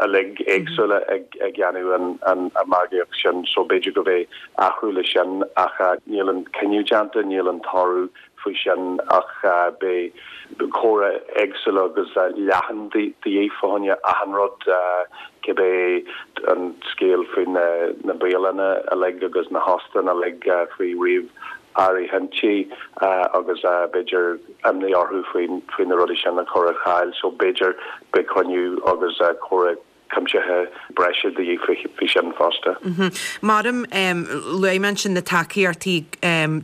uilig éagsúla ag ag déanamh an an margaíocht sin so b'fhéidir go mbeidh athrú le sin ach níl an cinneadh déanta níl an toradh faoi sin ach beidh comhrá éagsúla agus leathan de dhíth fá choinne achan rud cibé an scéal faoi na na bialanna uilig agus na hóstáin uilig faoi ríomh áirithintí agus b'fhéidir imní orthu faoi faoi na rudaí sin a chur ar fáil so b'fhéidir beidh cruinniú agus comhrá cuimsithe breise de dhíth faoi sin fosta. Maram, luaigh mé ansin na tacaíochtaí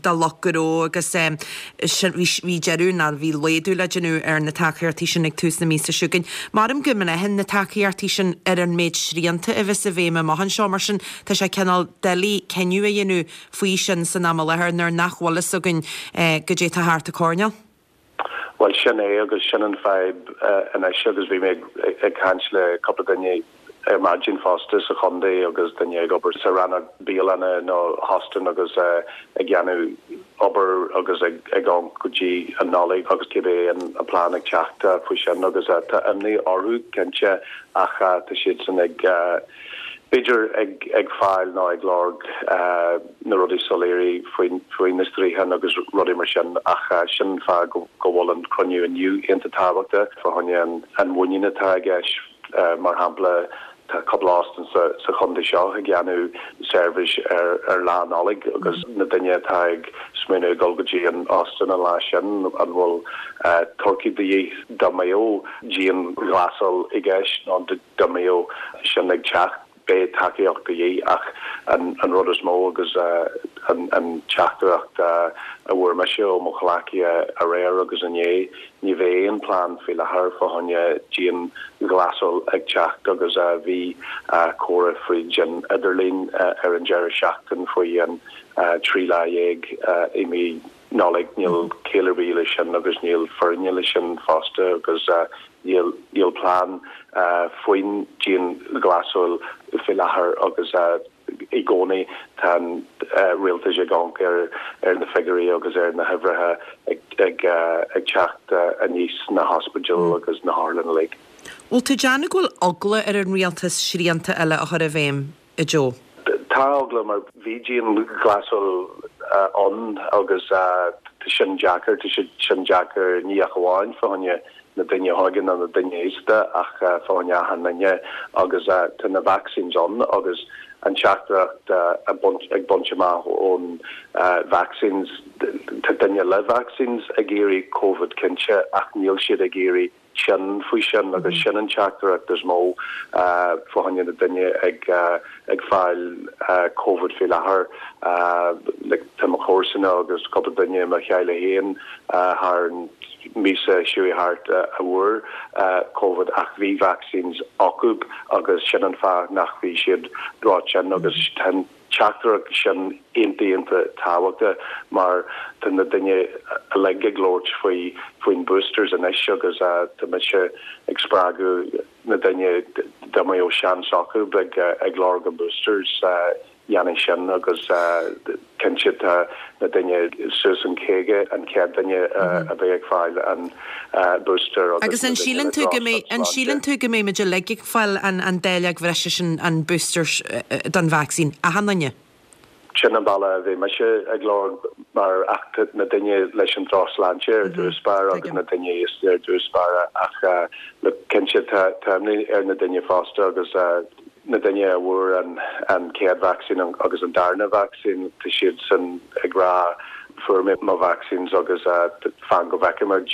do lucht gnó agus sin bhí deireadh nó bhí laghdú le déanamh ar na tacaíochtaí sin ag tús na míosa seo chugainn. Maram go mbraitheann na tacaíochtaí sin ar an méid srianta a bheas i bhfeidhm amach anseo, mar sin tá sé cineál doiligh cinneadh a dhéanamh faoi sin san am i láthair nuair nach bhfuil fhios againn goidé tá thart an coirnéal. Bhuel, sin é agus sin an fadhb anois agus bhí mé ag caint le cúpla duine ar maidin fosta sa chontae agus duine ag obair sa rannóg bialanna nó hóstáin agus ag déanamh obair agus ag amharc go dtí an Nollaig agus cibé an plean ag teacht faoi sin agus tá imní orthu cinnte ach tá siadsan ag b'fhéidir ag ag fáil nó ag lorg na rudaí soiléirí faoi faoi na srianta agus rudaí mar sin ach sin an fáth go go bhfuil an cruinniú inniu iontach tábhachtach fá choinne an an mhuinín atá i gceist mar shampla tá cúpla óstán sa sa chontae seo ag déanamh seirbhís ar ar lá Nollag agus na duine atá ag smaoineamh ag dul go dtí an óstán an lá sin an bhfuil turcaí de dhíth dá mbeadh dianghlasáil i gceist nó dá mbeadh sin ag teacht. Beidh tacaíocht de dhíth ach an an rud is mó agus an an teachtaireacht a bhfuair mise ó mo chomhghleacaithe aréir agus inné, ní bheidh aon plean faoi láthair fá choinne dianghlasáil ag teacht agus bhí comhrá fríd an idirlíon ar an deireadh seachtain faoi an trí lá dhéag i mí Nollaig. Níl ciall ar bith leis sin agus níl fírinne leis sin fosta agus níl níl plean faoin dianghlasáil faoi láthair agus i gcónaí tá an rialtas ag amharc ar ar na figiúirí agus ar na huimhreacha ag ag ag teacht aníos sna hospidéil agus na hotharlanna uilig. Bhfuil tú ag déanamh go bhfuil eagla ar an rialtas srianta eile a chur i bhfeidhm, a Joe? Tá eagla mar bhí dianghlasáil ann agus tá sin deacair, tá sin deacair ní ach amháin fá choinne na daoine óga nó na daoine aosta ach fá choinne achan duine agus tá na vaccines ann agus an teachtaireacht ag baint amach ón vaccines, tá duine le vaccines ag éirí Covid cinnte ach níl siad ag éirí tinn faoi sin agus sin an teachtaireacht is mó fá choinne na daoine ag ag fáil Covid faoi láthair. Like tá mo chomharsana agus cúpla duine i mo theaghlach féin thar an míosa seo thart a bhfuair Covid ach bhí vaccines acu agus sin an fáth nach bhí siad ró-thinn agus tá an teachtaireacht sin iontach iontach tábhachtach mar tá na daoine uilig ag labhairt faoi faoin boosters anois agus tá mise ag spreagadh na daoine dá mbeadh seans acu ag ag lorg an boosters dhéanamh sin agus cinnte tá na daoine suas an caoga an chéad duine a bheidh ag fáil an booster agus Agus an síleann tú go mbeidh an síleann tú go mbeidh muid uilig ag fáil an an dáileog bhreise sin an booster don vacsaín achan duine? Sin an bealach a bhí mise ag lorg mar ach na daoine leis an drochshláinte ar dtús báire agus na daoine aosta ar dtús báire ach look cinnte tá tá imní ar na daoine fosta agus na daoine a bhfuair an an chéad vacsaín agus an darna vacsaín tá siad san ag rá fuair mé mo vaccines agus fan go bhfeicfimid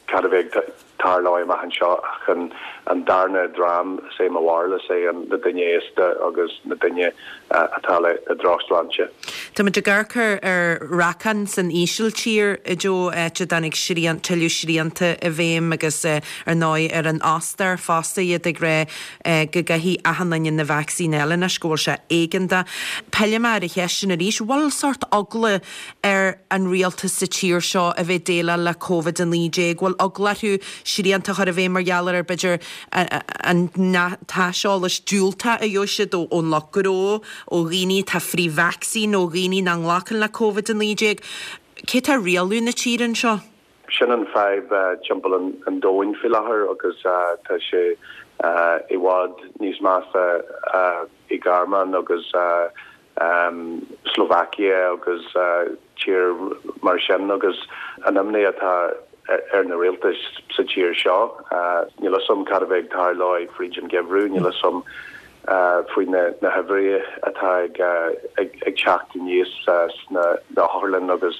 cad a bheidh ag tarlú amach anseo ach an an darna dream is é mo bharúil is é an na daoine aosta agus na daoine atá le le drochshláinte. Tá muid ag amharc ar ar racán san Ísiltír a Joe áit a dtáinig srian tuilleadh srianta i bhfeidhm agus ar ndóigh ar an Ostair fosta iad ag rá go gcaithfidh achan duine na vacsaín eile anois go bhfuil sé éigeantach. Pillfidh mé ar an cheist sin arís, bhfuil sórt eagla ar an rialtas sa tír seo a bheith déileáil le Covid a naoi déag, bhfuil eagla orthu srianta a chur i bhfeidhm mar gheall ar b'fhéidir an t-aiseolas diúltach a gheobhaidh siad ón lucht gnó, ó dhaoine atá frith-vacsaín, ó dhaoine nach nglacann le Covid a naoi déag. Cé atá ag rialú na tíre anseo? Sin an fadhb timpeall an domhain faoi láthair agus tá sé i bhfad níos measa i Gearmáin agus Slovakia agus tír mar sin agus an imní atá ar na rialtais sa tír seo. Níl a fhios agam cad a bheidh ag tarlú fríd an geimhreadh, níl a fhios agam faoi na na huimhreacha atá ag ag ag teacht aníos sna na hotharlann agus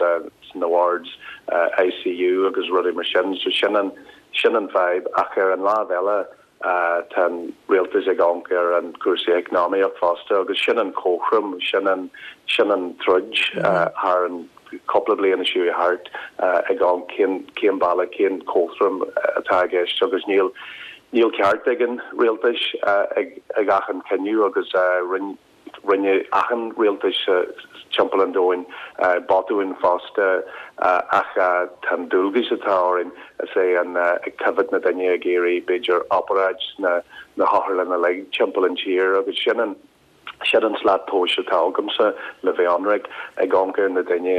sna wards I C U agus rudaí mar sin. So sin an sin an fadhb ach ar an lámh eile tá an rialtas ag amharc ar an cúrsaí eacnamaíocht fosta agus sin an cothrom sin an sin an troid thar an cúpla bliain seo thart ag an cén cén bealach cén cothrom atá i gceist agus níl níl ceart ag an rialtas ag ag achan cinneadh agus rinne rinne achan rialtas timpeall an domhain botúin fosta ach tá an dualgas atá orainn is é an ag coimhéad na daoine ag iarraidh b'fhéidir obráid na na hotharlanna uilig timpeall an tír agus sin an sin an slat tomhais atá agamsa le bheith ionraic ag amharc ar na daoine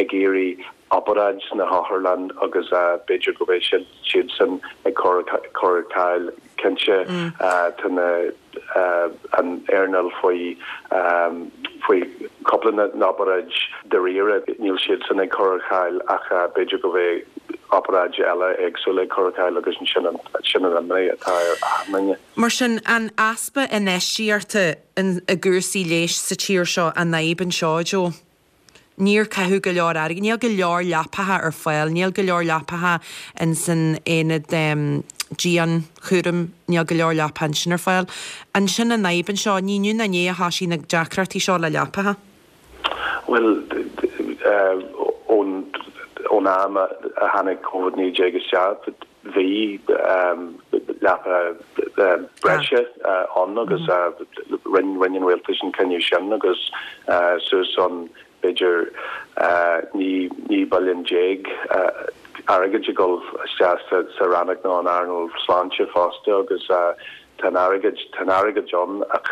ag iarraidh obráid sna hotharlann agus b'fhéidir go mbeidh siad siad san ag cur cur ar cáil cinnte tá na an earnáil faoi faoi cúpla na n-obráid dáiríre níl siad san ag cur ar cáil ach b'fhéidir go mbeidh obráid eile éagsúla ag cur ar cáil agus sin an sin an imní atá ar achan duine. Mar sin an easpa infheistíochta i gcúrsaí leighis sa tír seo an fhadhb anseo Joe. Níor caitheadh go leor airgid, níl go leor leapacha ar fáil, níl go leor leapacha in san aonad dianchúraim, níl go leor leapacha ansin ar fáil. An sin an fhadhb anseo, ní inniu ná inné a thosaigh na deacrachtaí seo le leapacha. Bhuel, ón am a tháinig Covid naoi déag isteach, bhí leapacha breise ann agus rinne an rialtas an cinneadh sin agus suas an b'fhéidir naoi billiún déag airgid ag dul isteach sa rannóg nó an earnáil sláinte fosta agus tá an airgead tá an airgead ann ach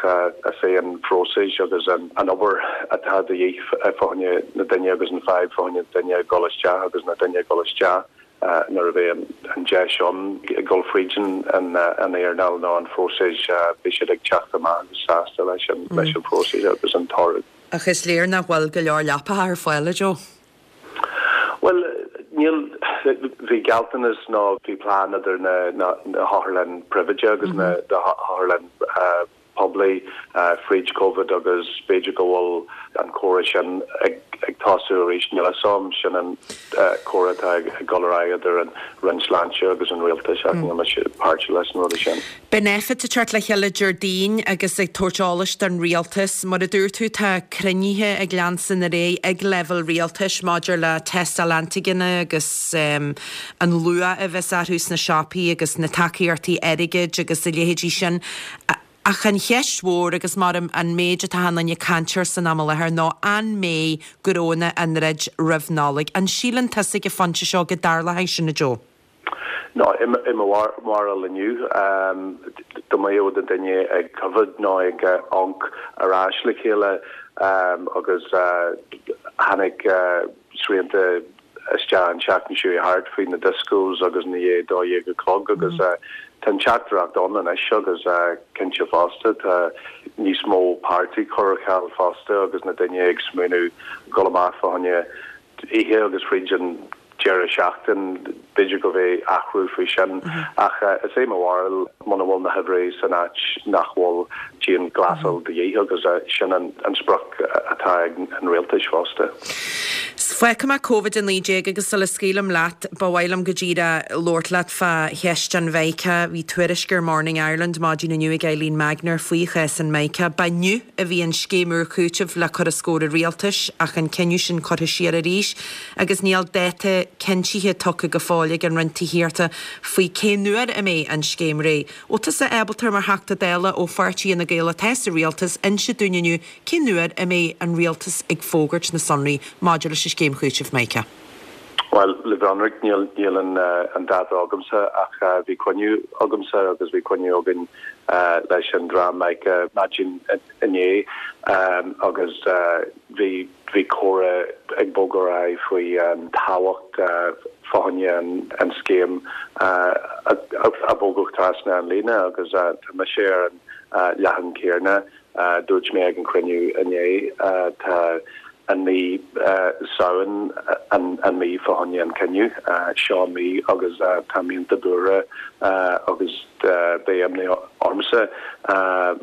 is é an phróiseas agus an obair atá de dhíth fá choinne na duine agus an fadhb fá choinne duine ag dul isteach agus na duine ag dul isteach nuair a bheidh an deis ann ag dul fríd an earnáil nó an phróiseas beidh siad ag teacht amach agus sásta leis an leis an phróiseas agus an toradh. Ach is léir nach bhfuil go leor leapacha ar fáil, a Joe. Bhuel, níl, bhí gealltanas nó bhí plean idir na na hotharlann príobháideach agus na hotharlann poiblí fríd Covid agus b'fhéidir go bhfuil an comhrá sin ag ag tosú arís, níl a fhios agam, sin an comhrá atá ag dul ar aghaidh idir an Roinn Sláinte agus an Rialtas ach níl mise páirteach leis an rud sin. Beidh Nphet ag teacht le chéile Déardaoin agus ag tabhairt eolais don Rialtas. Mar a dúirt tú, tá cruinnithe ag leanstan ar aghaidh ag leibhéal rialtais maidir le tástáil antaigine agus an luach a bheas orthu sna siopaí agus na tacaíochtaí airgid agus a leithéidí sin. Ach an cheist mhór, agus mar an méid atá achan duine ag caint air san am i láthair, ná an mbeidh gnónna á ndruid roimh Nollaig? An síleann tusa ag an phointe seo go dtarlóidh sin, a Joe? No, i mo bharúil inniu, dá mbeadh na duine ag coimhéad nó ag amharc ar ais le chéile agus tháinig srianta isteach an tseachtain seo thart faoi na discos agus i ndiaidh dó dhéag a chlog agus tá an teachtaireacht ann anois agus cinnte fosta tá níos mó páirtí curtha ar ceal fosta agus na duine ag smaoineamh dul amach fá choinne oíche agus fríd an deireadh seachtain b'fhéidir go mbeidh athrú faoi sin ach is é mo bharúil muna bhfuil na huimhrí san áit nach bhfuil dianghlasáil de dhíth agus sin an sprioc atá ag an rialtas fosta. Fágfaidh mé Covid a naoi déag agus sula scaoilim leat, ba mhaith liom go díreach labhairt leat fá cheist an Mhica. Bhí tuairisc ar Morning Ireland maidin inniu ag Eileen Magnier faoi chás an Mhica. Ba inniu a bhí an scéim úr cúitimh le cur os comhair an rialtais ach an cinneadh sin curtha siar arís agus níl dáta cinntithe tugtha go fóill ag an Roinn Tithíochta faoi cén uair a mbeidh an scéim réidh. Bhfuil tusa ábalta mar Theachta Dála ó pháirtí Fhine Gael atá sa rialtas inse dúinn inniu cén uair a mbeidh an rialtas ag fógairt na sonraí maidir leis an scéim chúitimh Mhica? Bhuel, le bheith ionraic, níl níl an an dáta agamsa ach bhí cruinniú agamsa agus bhí cruinniú againn leis an dream Mica maidin inné agus bhí bhí comhrá ag bogadh ar aghaidh faoi an tábhacht fá choinne an scéim a bhogadh trasna an líne agus tá mise ar an leathán céanna. Dúirt mé ag an cruinniú inné tá an mí Samhain an mí fá choinne an cinneadh seo an mí agus tá mé iontach buartha agus beidh imní ormsa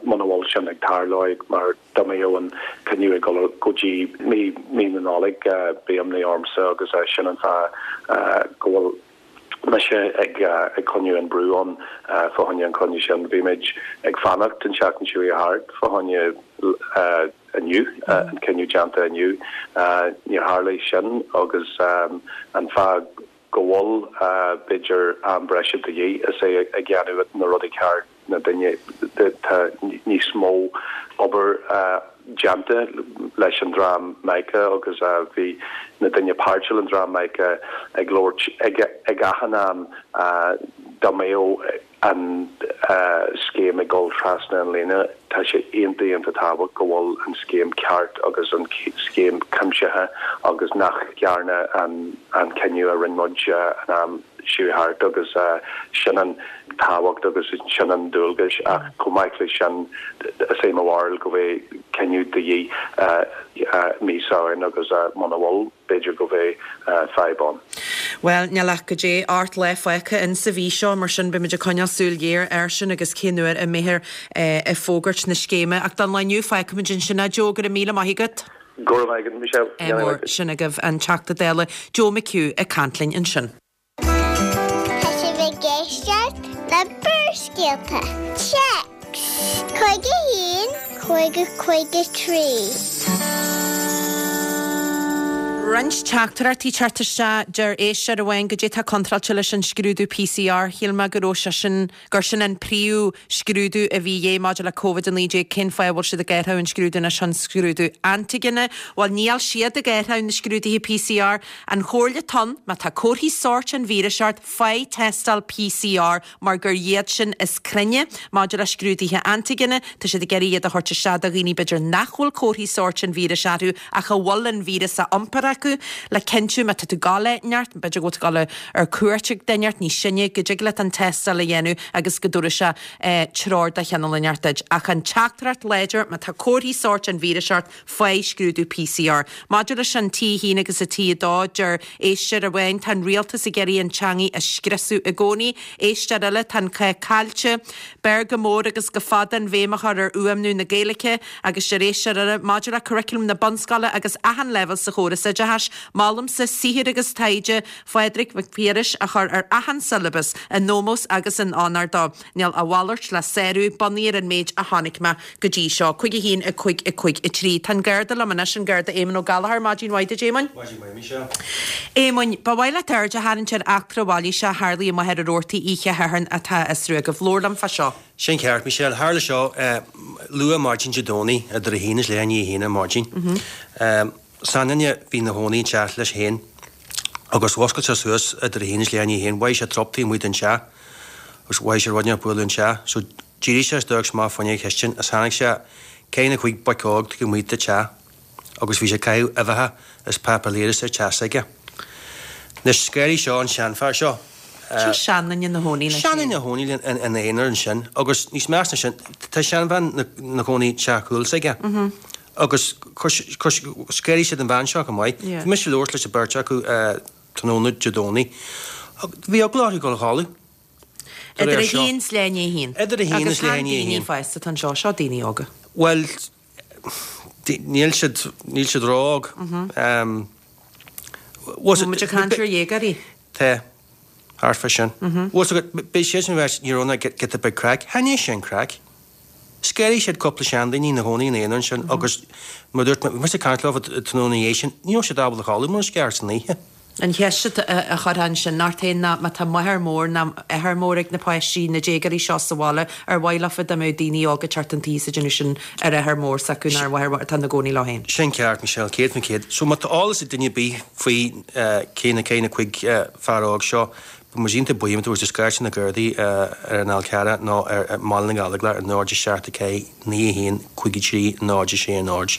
muna bhfuil sin ag tarlú mar dá mbeadh an cinneadh ag dul go dtí mí mí na Nollag beidh imní ormsa agus sin an fáth go bhfuil mise ag ag coinneáil an brú ann fá choinne an cruinniú sin. Bhí muid ag fanacht an tseachtain seo thart fá choinne inniu, an cinneadh déanta inniu. Níor tharlaigh sin agus an fáth go bhfuil b'fhéidir am breise de dhíth is é ag déanamh na rudaí ceart na duine tá níos mó obair déanta leis an dream Mica agus bhí na duine páirteach an dream Mica ag labhairt ag ag achan am dá mbeadh an scéim ag dul trasna an líne tá sé iontach iontach tábhachtach go bhfuil an scéim ceart agus an scéim cuimsithe agus nach ndearna an an cinneadh a rinne muid an am seo thart agus sin an tábhacht agus sin an dualgas ach chomh maith leis sin is é mo bharúil go bhfuil cinneadh de dhíth mí Samhain agus muna bhfuil b'fhéidir go bhfuil fadhb ann. Bhuel, níl ach go dté ocht lá fágtha in sa mhí seo, mar sin beimid ag coinneáil súil ghéar air sin agus cén uair a mbeifear ag fógairt na scéime. Ach don lá inniu fágfaimid ansin é. Joe, go raibh míle maith agat. Go raibh maith agat, Michelle. Ádh mór. Sin agaibh an Teachta Dála Joe McHugh ag caint linn ansin. Tá sibh ag éisteacht le Barrscéalta. Téacs cúig a haon, cúig a cúig a trí. Roinnt teachtaireachtaí ag teacht isteach deir éisteoir amháin goidé tá contráilte leis an scrúdú PCR. Shíl mé go raibh sé sin gur sin an príomh scrúdú a bhí dhé maidir le Covid a naoi déag cén fáth a bhfuil siad ag athrú an scrúdú anois chun scrúdú antaigine. Bhuel níl siad ag athrú na scrúduithe PCR. An chomhairle atá ann má tá comharthaí sóirt an víris ort faigh tástáil PCR mar gur iad sin is cruinne maidir le scrúduithe antaigine. Tá siad ag iarraidh iad a thabhairt isteach do dhaoine b'fhéidir nach bhfuil comharthaí sóirt an víris orthu ach a bhfuil an víreas á iompar acu le cinntiú má tá tú ag gabháil áit inteacht, b'fhéidir go bhfuil tú ag gabháil ar cuairt ag duine inteacht níos sine, go dtig leat an tástáil a dhéanamh agus go dtabharfaidh sé treoir de chineál inteacht duit. Ach an teachtaireacht láidir má tá comharthaí sóirt an víris ort, faigh scrúdú PCR. Maidir leis an T haon agus an T a dó, deir éisteoir amháin tá an rialtas ag iarraidh an teangaidh a scriosadh i gcónaí. Éisteoir eile tá an cath caillte, b'fhearr go mór agus go fada an bhéim a chur ar fhuaimniú na Gaeilge agus deir éisteoir eile maidir le curriculum na bunscoile agus achan leibhéal sa chóras oideachais, Molaimse saothar agus taighde Phádraig Mhic Piarais a chur ar achan siollabas in ómós agus in onóir dó. Níl a mhalairt le sárú bunaithe ar an méid a chonaic mé go dtí seo. Cúig a haon a cúig a cúig a trí. Tá an Garda liom anois an Garda Éamon Ó Gallchóir maidin mhaith duit Éamoin. Maidin mhaith Michelle. Éamoin, ba mhaith leat aird a tharraingt ar eachtra mhailíseach a tharlaigh i Machaire Rabhartaigh oíche Shathairn atá á fhiosrú agaibh. Labhair liom fá seo. Sin ceart, Michelle. Tharla seo luath maidin Dé Domhnaigh idir a haon is leath i ndiaidh a haon ar maidin. Seanduine a bhí ina chónaí an teach leis féin agus mhuscail sé suas idir a haon is leath i ndiaidh a haon. Mhothaigh sé trup taobh amuigh den teach agus mhothaigh sé rud inteacht ag bualadh an teach. So d'éirigh sé is d'amharc sé amach fuinneog an chistin is chonaic sé ceithre nó cúig boic óg taobh amuigh den teach agus bhí sé ag caitheamh uibheacha is páipéar liathdóis ar teach s'aige. Anois scanraigh seo an seanfhear seo. Seo seanduine ina chónaí leis féin. Seanduine ina chónaí ina aonar ansin agus níos measa ná sin tá seanbhean ina chónaí teach cúil s'aige. Agus scanraigh siad an bhean seo chomh maith. Bhí mise ag labhairt leis an beirt acu tráthnóna Dé Domhnaigh. Bhí eagla orthu dul a chodladh. Idir a haon is leath i ndiaidh a haon. Idir a haon is leath i ndiaidh a haon. Agus chan daoine fásta atá anseo, seo daoine óga. Bhuel, níl siad, níl siad ró-óg. Bhfuil muid ag caint ar dhéagóirí? Tá. Thart fá sin. Bhfuil fhios agat, beidh siadsan ag ráit, ní raibh ná giota beag craic. Chan é sin craic. Scanraigh siad cúpla seandaoine ina chónaí ina aonar ansin agus mar a dúirt mé, bhí mise ag caint leo tráthnóna ina dhiaidh sin, ní raibh siad ábalta a chodladh mar sceart san oíche. An cheist a chuirfeá ansin ort féin ná má tá máthair mór ná athair mór ag na páistí, na déagóirí seo sa bhaile, ar mhaith leofa dá mbeadh daoine óga ag teacht chun tí is ag déanamh sin ar athair mór s'acu nó ar mháthair mhór atá ina gcónaí leo féin? Sin ceart, Michelle, céad faoin chéad. So má tá eolas ag duine ar bith faoi cé na cé na cúig fear óg seo, Beidh muid iontach buíoch má tá tú ag scairt na Gardaí ar an Fhál Carrach nó ar Bhaile na nGallóglach ar náid a seacht a ceathair naoi a haon cúig a trí náid a sé a náid.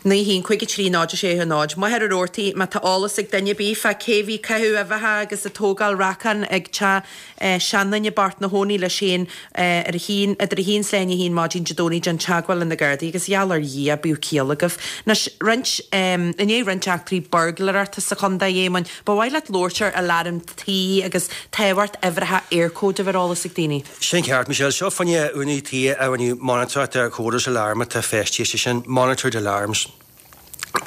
Naoi a haon cúig a trí náid a sé a náid. Machaire Rabhartaigh, má tá eolas ag duine ar bith fá cé bhí ag caitheamh uibheacha agus ag tógáil racán ag teach seanduine bocht ina chónaí leis féin ar a haon, idir a haon is leath i ndiaidh a haon maidin Dé Domhnaigh déan teagmháil le na Gardaí agus gheall ar Dhia bíodh ciall agaibh. Anois, roinnt, i ndiaidh roinnt eachtraí buirgléireachta sa chontae, a Éamoinn, ba mhaith leat labhairt ar aláram tí agus tábhacht uimhreacha Eircode a bheith ar eolas ag daoine. Sin ceart, Michelle. Seo fá choinne úinéirí tí a rinne monatóireacht ar chóras aláraim atá feistithe, sé sin, monitored alarms.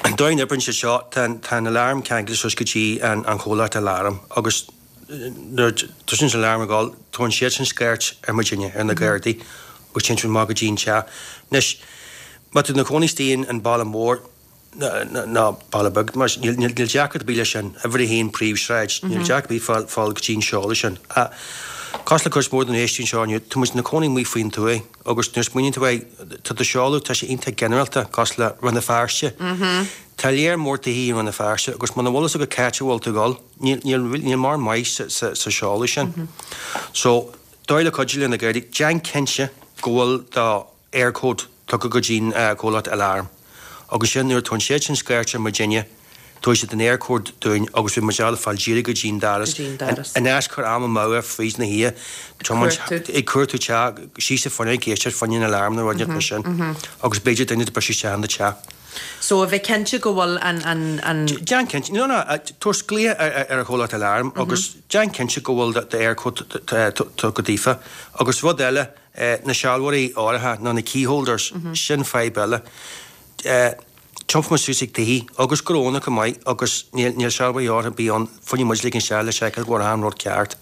An dóigh a n-oibríonn siad seo, tá an alarm ceangailte suas go dtí an chomhlacht aláraim agus nuair a tosaíonn an alarm ag dul, tugann siadsan scairt ar muidinne, ar na Gardaí, agus téann siad amach go dtí an teach. Anois, má tá tú ina chónaí istigh in baile mór, ná baile beag, mar níl deacracht ar bith leis sin, uimhir a haon príomhshráid, níl deacracht ar bith fáil fáil go dtí an seoladh sin. Ach cosúil le cuid mhór de na héisteoirí anseo inniu, tá muid ina cónaí amuigh faoin tuath agus nuair a smaoiníonn tú air, tá do sheoladh, tá sé iontach ginearálta, cosúil le Rann na Feirste. Tá léar mór tithe i Rann na Feirste agus muna bhfuil fhios agat cá háit a bhfuil tú ag dul, níl níl níl mórán maith sa sa sa seoladh sin. So, dóigh le cuidiú le na Gardaí, déan cinnte go bhfuil do Eircode tugtha go dtí'n comhlacht aláraim. Agus sin nuair a tugann siad sin scairt ar muidinne, tabharfaidh siad an Eircode dúinn agus beidh muid ábalta fáil díreach go dtí'n doras. Go dtí'n doras. In áit cur am amú ar fríd na hoíche, tiomáint ag cuartú teach, síos sa fuinneog, ag éisteacht fá choinne an aláram nó rud inteacht mar sin. Agus b'fhéidir duine de briseadh isteach in do teach. So a bheith cinnte go bhfuil an, an, an. Déan cinnte, no, no, tabhair glaoch ar an chomhlacht aláraim agus déan cinnte go bhfuil do Eircode tugtha daofa. Agus rud eile, na sealbhóirí áirithe nó na keyholders, sin fadhb eile. Tiompfaidh muid suas ag tithe agus gnónna chomh maith agus níl níl sealbhaí ar bith ann fá choinne muid ligean isteach le seiceáil go bhfuil achan rud ceart.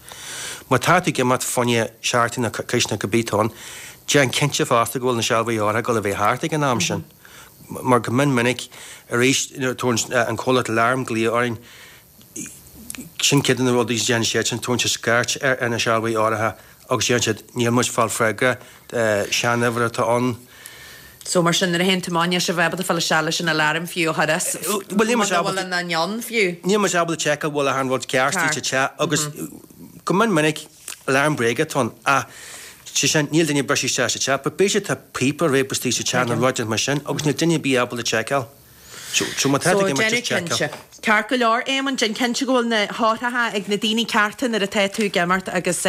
Má tá tú ag imeacht fá choinne seachtain nó coicís nó cibé atá ann, déan cinnte fosta go bhfuil na sealbhaí áirithe ag dul a bheith thart ag an am sin. Mar go mion minic arís nuair a tabharann an comhlacht alarm glao orainn, sin ceann de na rudaí a dhéanann siadsan, tabharann siad scairt ar na sealbhaí áirithe agus deireann siad níl muid ag fáil freagra, sean-uimhir atá ann. So mar sin nuair a théann tú amach níl sibh ábalta fáil isteach leis an alarm fiú a chur as, Bhuel níl muid muna bhfuil ábalta, an ann fiú. níl muid ábalta seiceáil bhfuil achan rud ceart istigh sa teach agus go mion minic alarm bréige atá ann ach sé sin níl duine ag briseadh isteach sa teach but b'fhéidir tá píopa ar réabadh istigh sa teach nó rud mar sin agus níl duine ar bith ábalta seiceáil. So má tá So tú ag imeacht déanamh just seiceáil. cinnte. Ceart go leor, Éamonn, déan cinnte go bhfuil na heochracha ag na daoine cearta nuair atá tú ag imeacht agus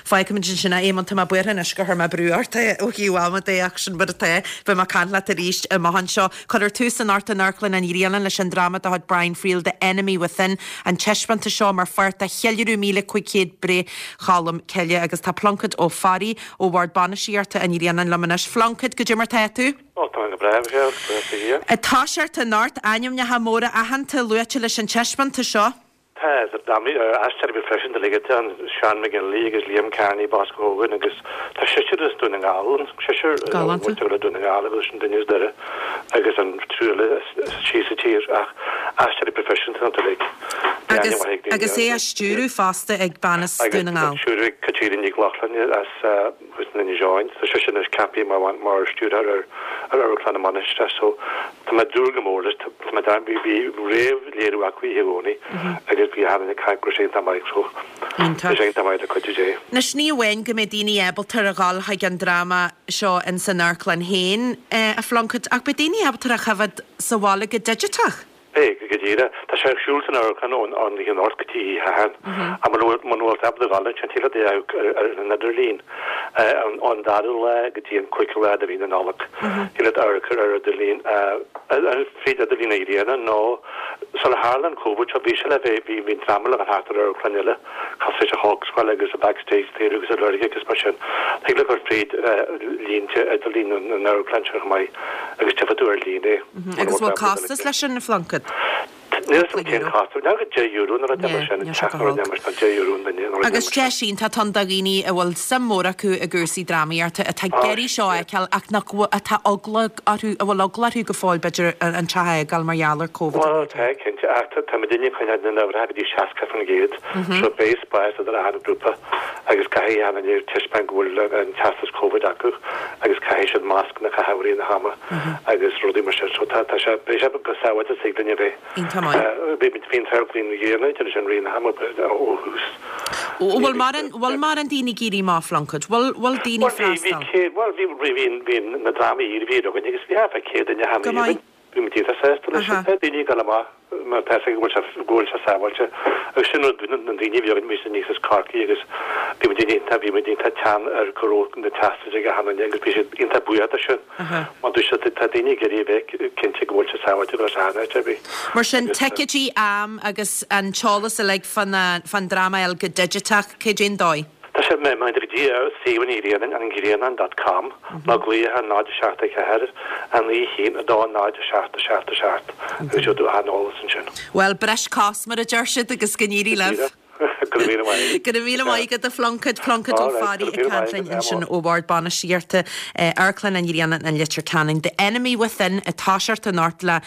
fágfaimid ansin é. Éamonn, tá mé buartha anois gur chuir mé brú ort ó thaobh ama de ach sin mar atá. Beidh mé ag caint leat arís amach anseo. Cuirfear tús anocht in Amharclann an Ghrianáin leis an dráma de chuid Brian Friel, The Enemy Within, an taispeántas seo mar pháirt de cheiliúradh míle cúig chéad breith Cholm Cille agus tá Pluincéad Ó Fearraigh ó Bhord Bainistíochta an Ghrianáin liom anois. Phluincéid, goidé mar tá tú? Ó, tá mé go breá, Michelle, buíochas do Dhia. Ag toiseacht anocht, ainmneacha móra aitheanta luaite leis an taispeántas seo. Tá, aisteoirí proifisiúnta uilig atá ann, Seán McGinley agus Liam Kearney, Bosco Hogan agus tá seisear as Dún na nGall ann, seisear ó mhuintir le Dún na nGall agus an duine as Doire agus an triúr eile síos sa tír ach aisteoirí proifisiúnta iontu uilig. Bhí aithne mhaith ag daoine Agus é á stiúradh fosta ag bean as Dún na nGall. Agus stiúradh ag Caitríona Nic Lochlainn as Thuas in Inis Eoghain. Tá sise anois ceaptha mar mar stiúrthóir ar ar Amharclann na Mainistreach so tá mé ag dúil go mór leis. Tá mé dar bhí bhí réamh-léiriú acu oíche Dhomhnaigh agus bhí achan duine ag caint go raibh sé iontach maith so Iontach. tá sé iontach maith le cuidiú Dé. Anois ní amháin go mbeidh daoine ábalta a dhul chuig an dráma seo ins an amharclann féin, a Phluincéid, ach beidh daoine ábalta a choimhéad sa bhaile go digiteach. Beidh, go díreach. Tá sé ar siúl san amharclann ón oíche anocht go dtí oíche Shathairn. Ach muna bhfuil muna bhfuil tú ábalta a dhul ansin, thig leat é a amharc ar an idirlíon ón dara lá go dtí an cúigiú lá de mhí na Nollag. Thig leat amharc ar ar idirlíon, fríd idirlíon an Ghrianáin nó sular tharla an Covid seo, bhí sé le bheith, bhí bhí an dráma le bheith thart ar amharclann eile, cosúil leis an Hawkswell agus an Backstage Theatre agus an Lurg agus mar sin. Thig leat cur fríd línte idirlín na n-amharclann sin chomh maith agus tchífidh tú ar líne é. Agus bhfuil costas leis sin, a Phluincéid? Níl a fhios agam cén costas, níl go deich euro nó rud mar sin, teach nó rud mar sin, deich euro an duine nó rud mar Agus sin. deis iontach atá ann do dhaoine a bhfuil suim mhór acu i gcúrsaí drámaíochta, atá ag iarraidh seo a fheiceáil ach nach bhfuil, atá eagla orthu, a bhfuil eagla orthu go fóill b'fhéidir an teach a fhágáil mar gheall ar Covid Bhuel tá, cinnte, ach tá muidinne ag coinneáil na n-uimhreacha go dtí seasca faoin gcéad, so beidh spás idir achan grúpa agus caithfidh achan duine taispeáint go bhfuil an teastas Covid acu agus caithfidh siad mascanna a chaitheamh i rith na hama agus rudaí mar sin. So tá tá sé beidh sé chomh sábháilte is thig linn a bheith. Iontach maith. Bhí muid bhí an t-amharclann an Ghrianáin sin i rith na hama ó thús. Bhfuil mórán bhfuil mórán daoine ag éirí amach, a Phluincéid? Bhfuil bhfuil daoine Bhuel bhí bhí freastal? céad bhuel bhí bhí bhí na drámaí iarbhír againn agus bhí thart fá céad duine Go cheana maith. Bhí muid iontach sásta leis sin. Aha. Tá daoine ag dul amach mar tá a fhios acu go bhfuil sé go bhfuil sé sábháilte agus sin rud na daoine a bhí againn bhí siad aníos as Corcaigh agus bhí muid iontach bhí muid iontach teann ar go raibh na teastais ag achan duine agus bhí siad iontach buíoch de sin. Aha. Mar dúirt siad tá daoine ag iarraidh a bheith cinnte go bhfuil sé sábháilte go raibh áit ar bith. Mar sin Agus ticéidí am agus an t-eolas uilig fán fán dráma a fháil go digiteach, cad é an dóigh? Tá sé mé go dtí ar suíomh an Ghrianáin an Grianán dot com nó glaoch ar náid a seacht a ceathair a naoi haon a dó náid a seacht a seacht a seacht agus gheobhaidh tú achan eolas ansin. Bhuel, breis cos mar a deir siad agus go n-éirí libh. Go raibh míle maith. Go raibh míle maith agat a Phluincéid, Pluincéad Ó All right, Fearraigh go ag raibh míle caint maith linn agat, ansin ó Bhord Bainistíochta Amharclann an Ghrianáin an Leitir Ceanainn. The Enemy Within ag toiseacht anocht le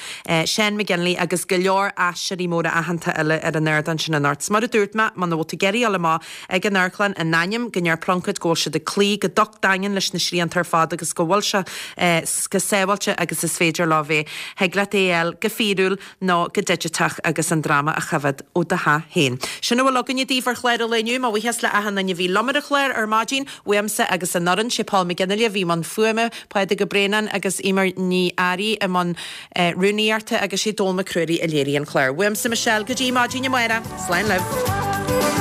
Seán McGinley agus go leor aisteoirí móra aitheanta eile ar an ardán sin anocht. 'S mar a dúirt mé, muna bhfuil tú ag iarraidh dul amach ag an amharclann in ainm go ndeir Pluincéad go bhfuil siad ag cloí go docht daingean leis na srianta ar fad agus go bhfuil sé chomh sábháilte agus is féidir leo bheith. Thig leat é a fháil go fíorúil nó go digiteach agus an dráma a choimhéad ó do theach féin. Sin a bhfuil againne daoibh ar chlár an lae inniu. Mo bhuíochas le achan duine a bhí liom ar an chlár ar maidin, uaimse agus an fhoireann, sé Paul McGinley a bhí i mbun fuaime, Pádraig Ó Braonáin agus Eimear Ní Fhearraigh i mbun rúnaíochta agus sé Dónall Mac Ruairí a léirigh an clár. Uaimse Michelle go dtí maidin amárach. Slán libh.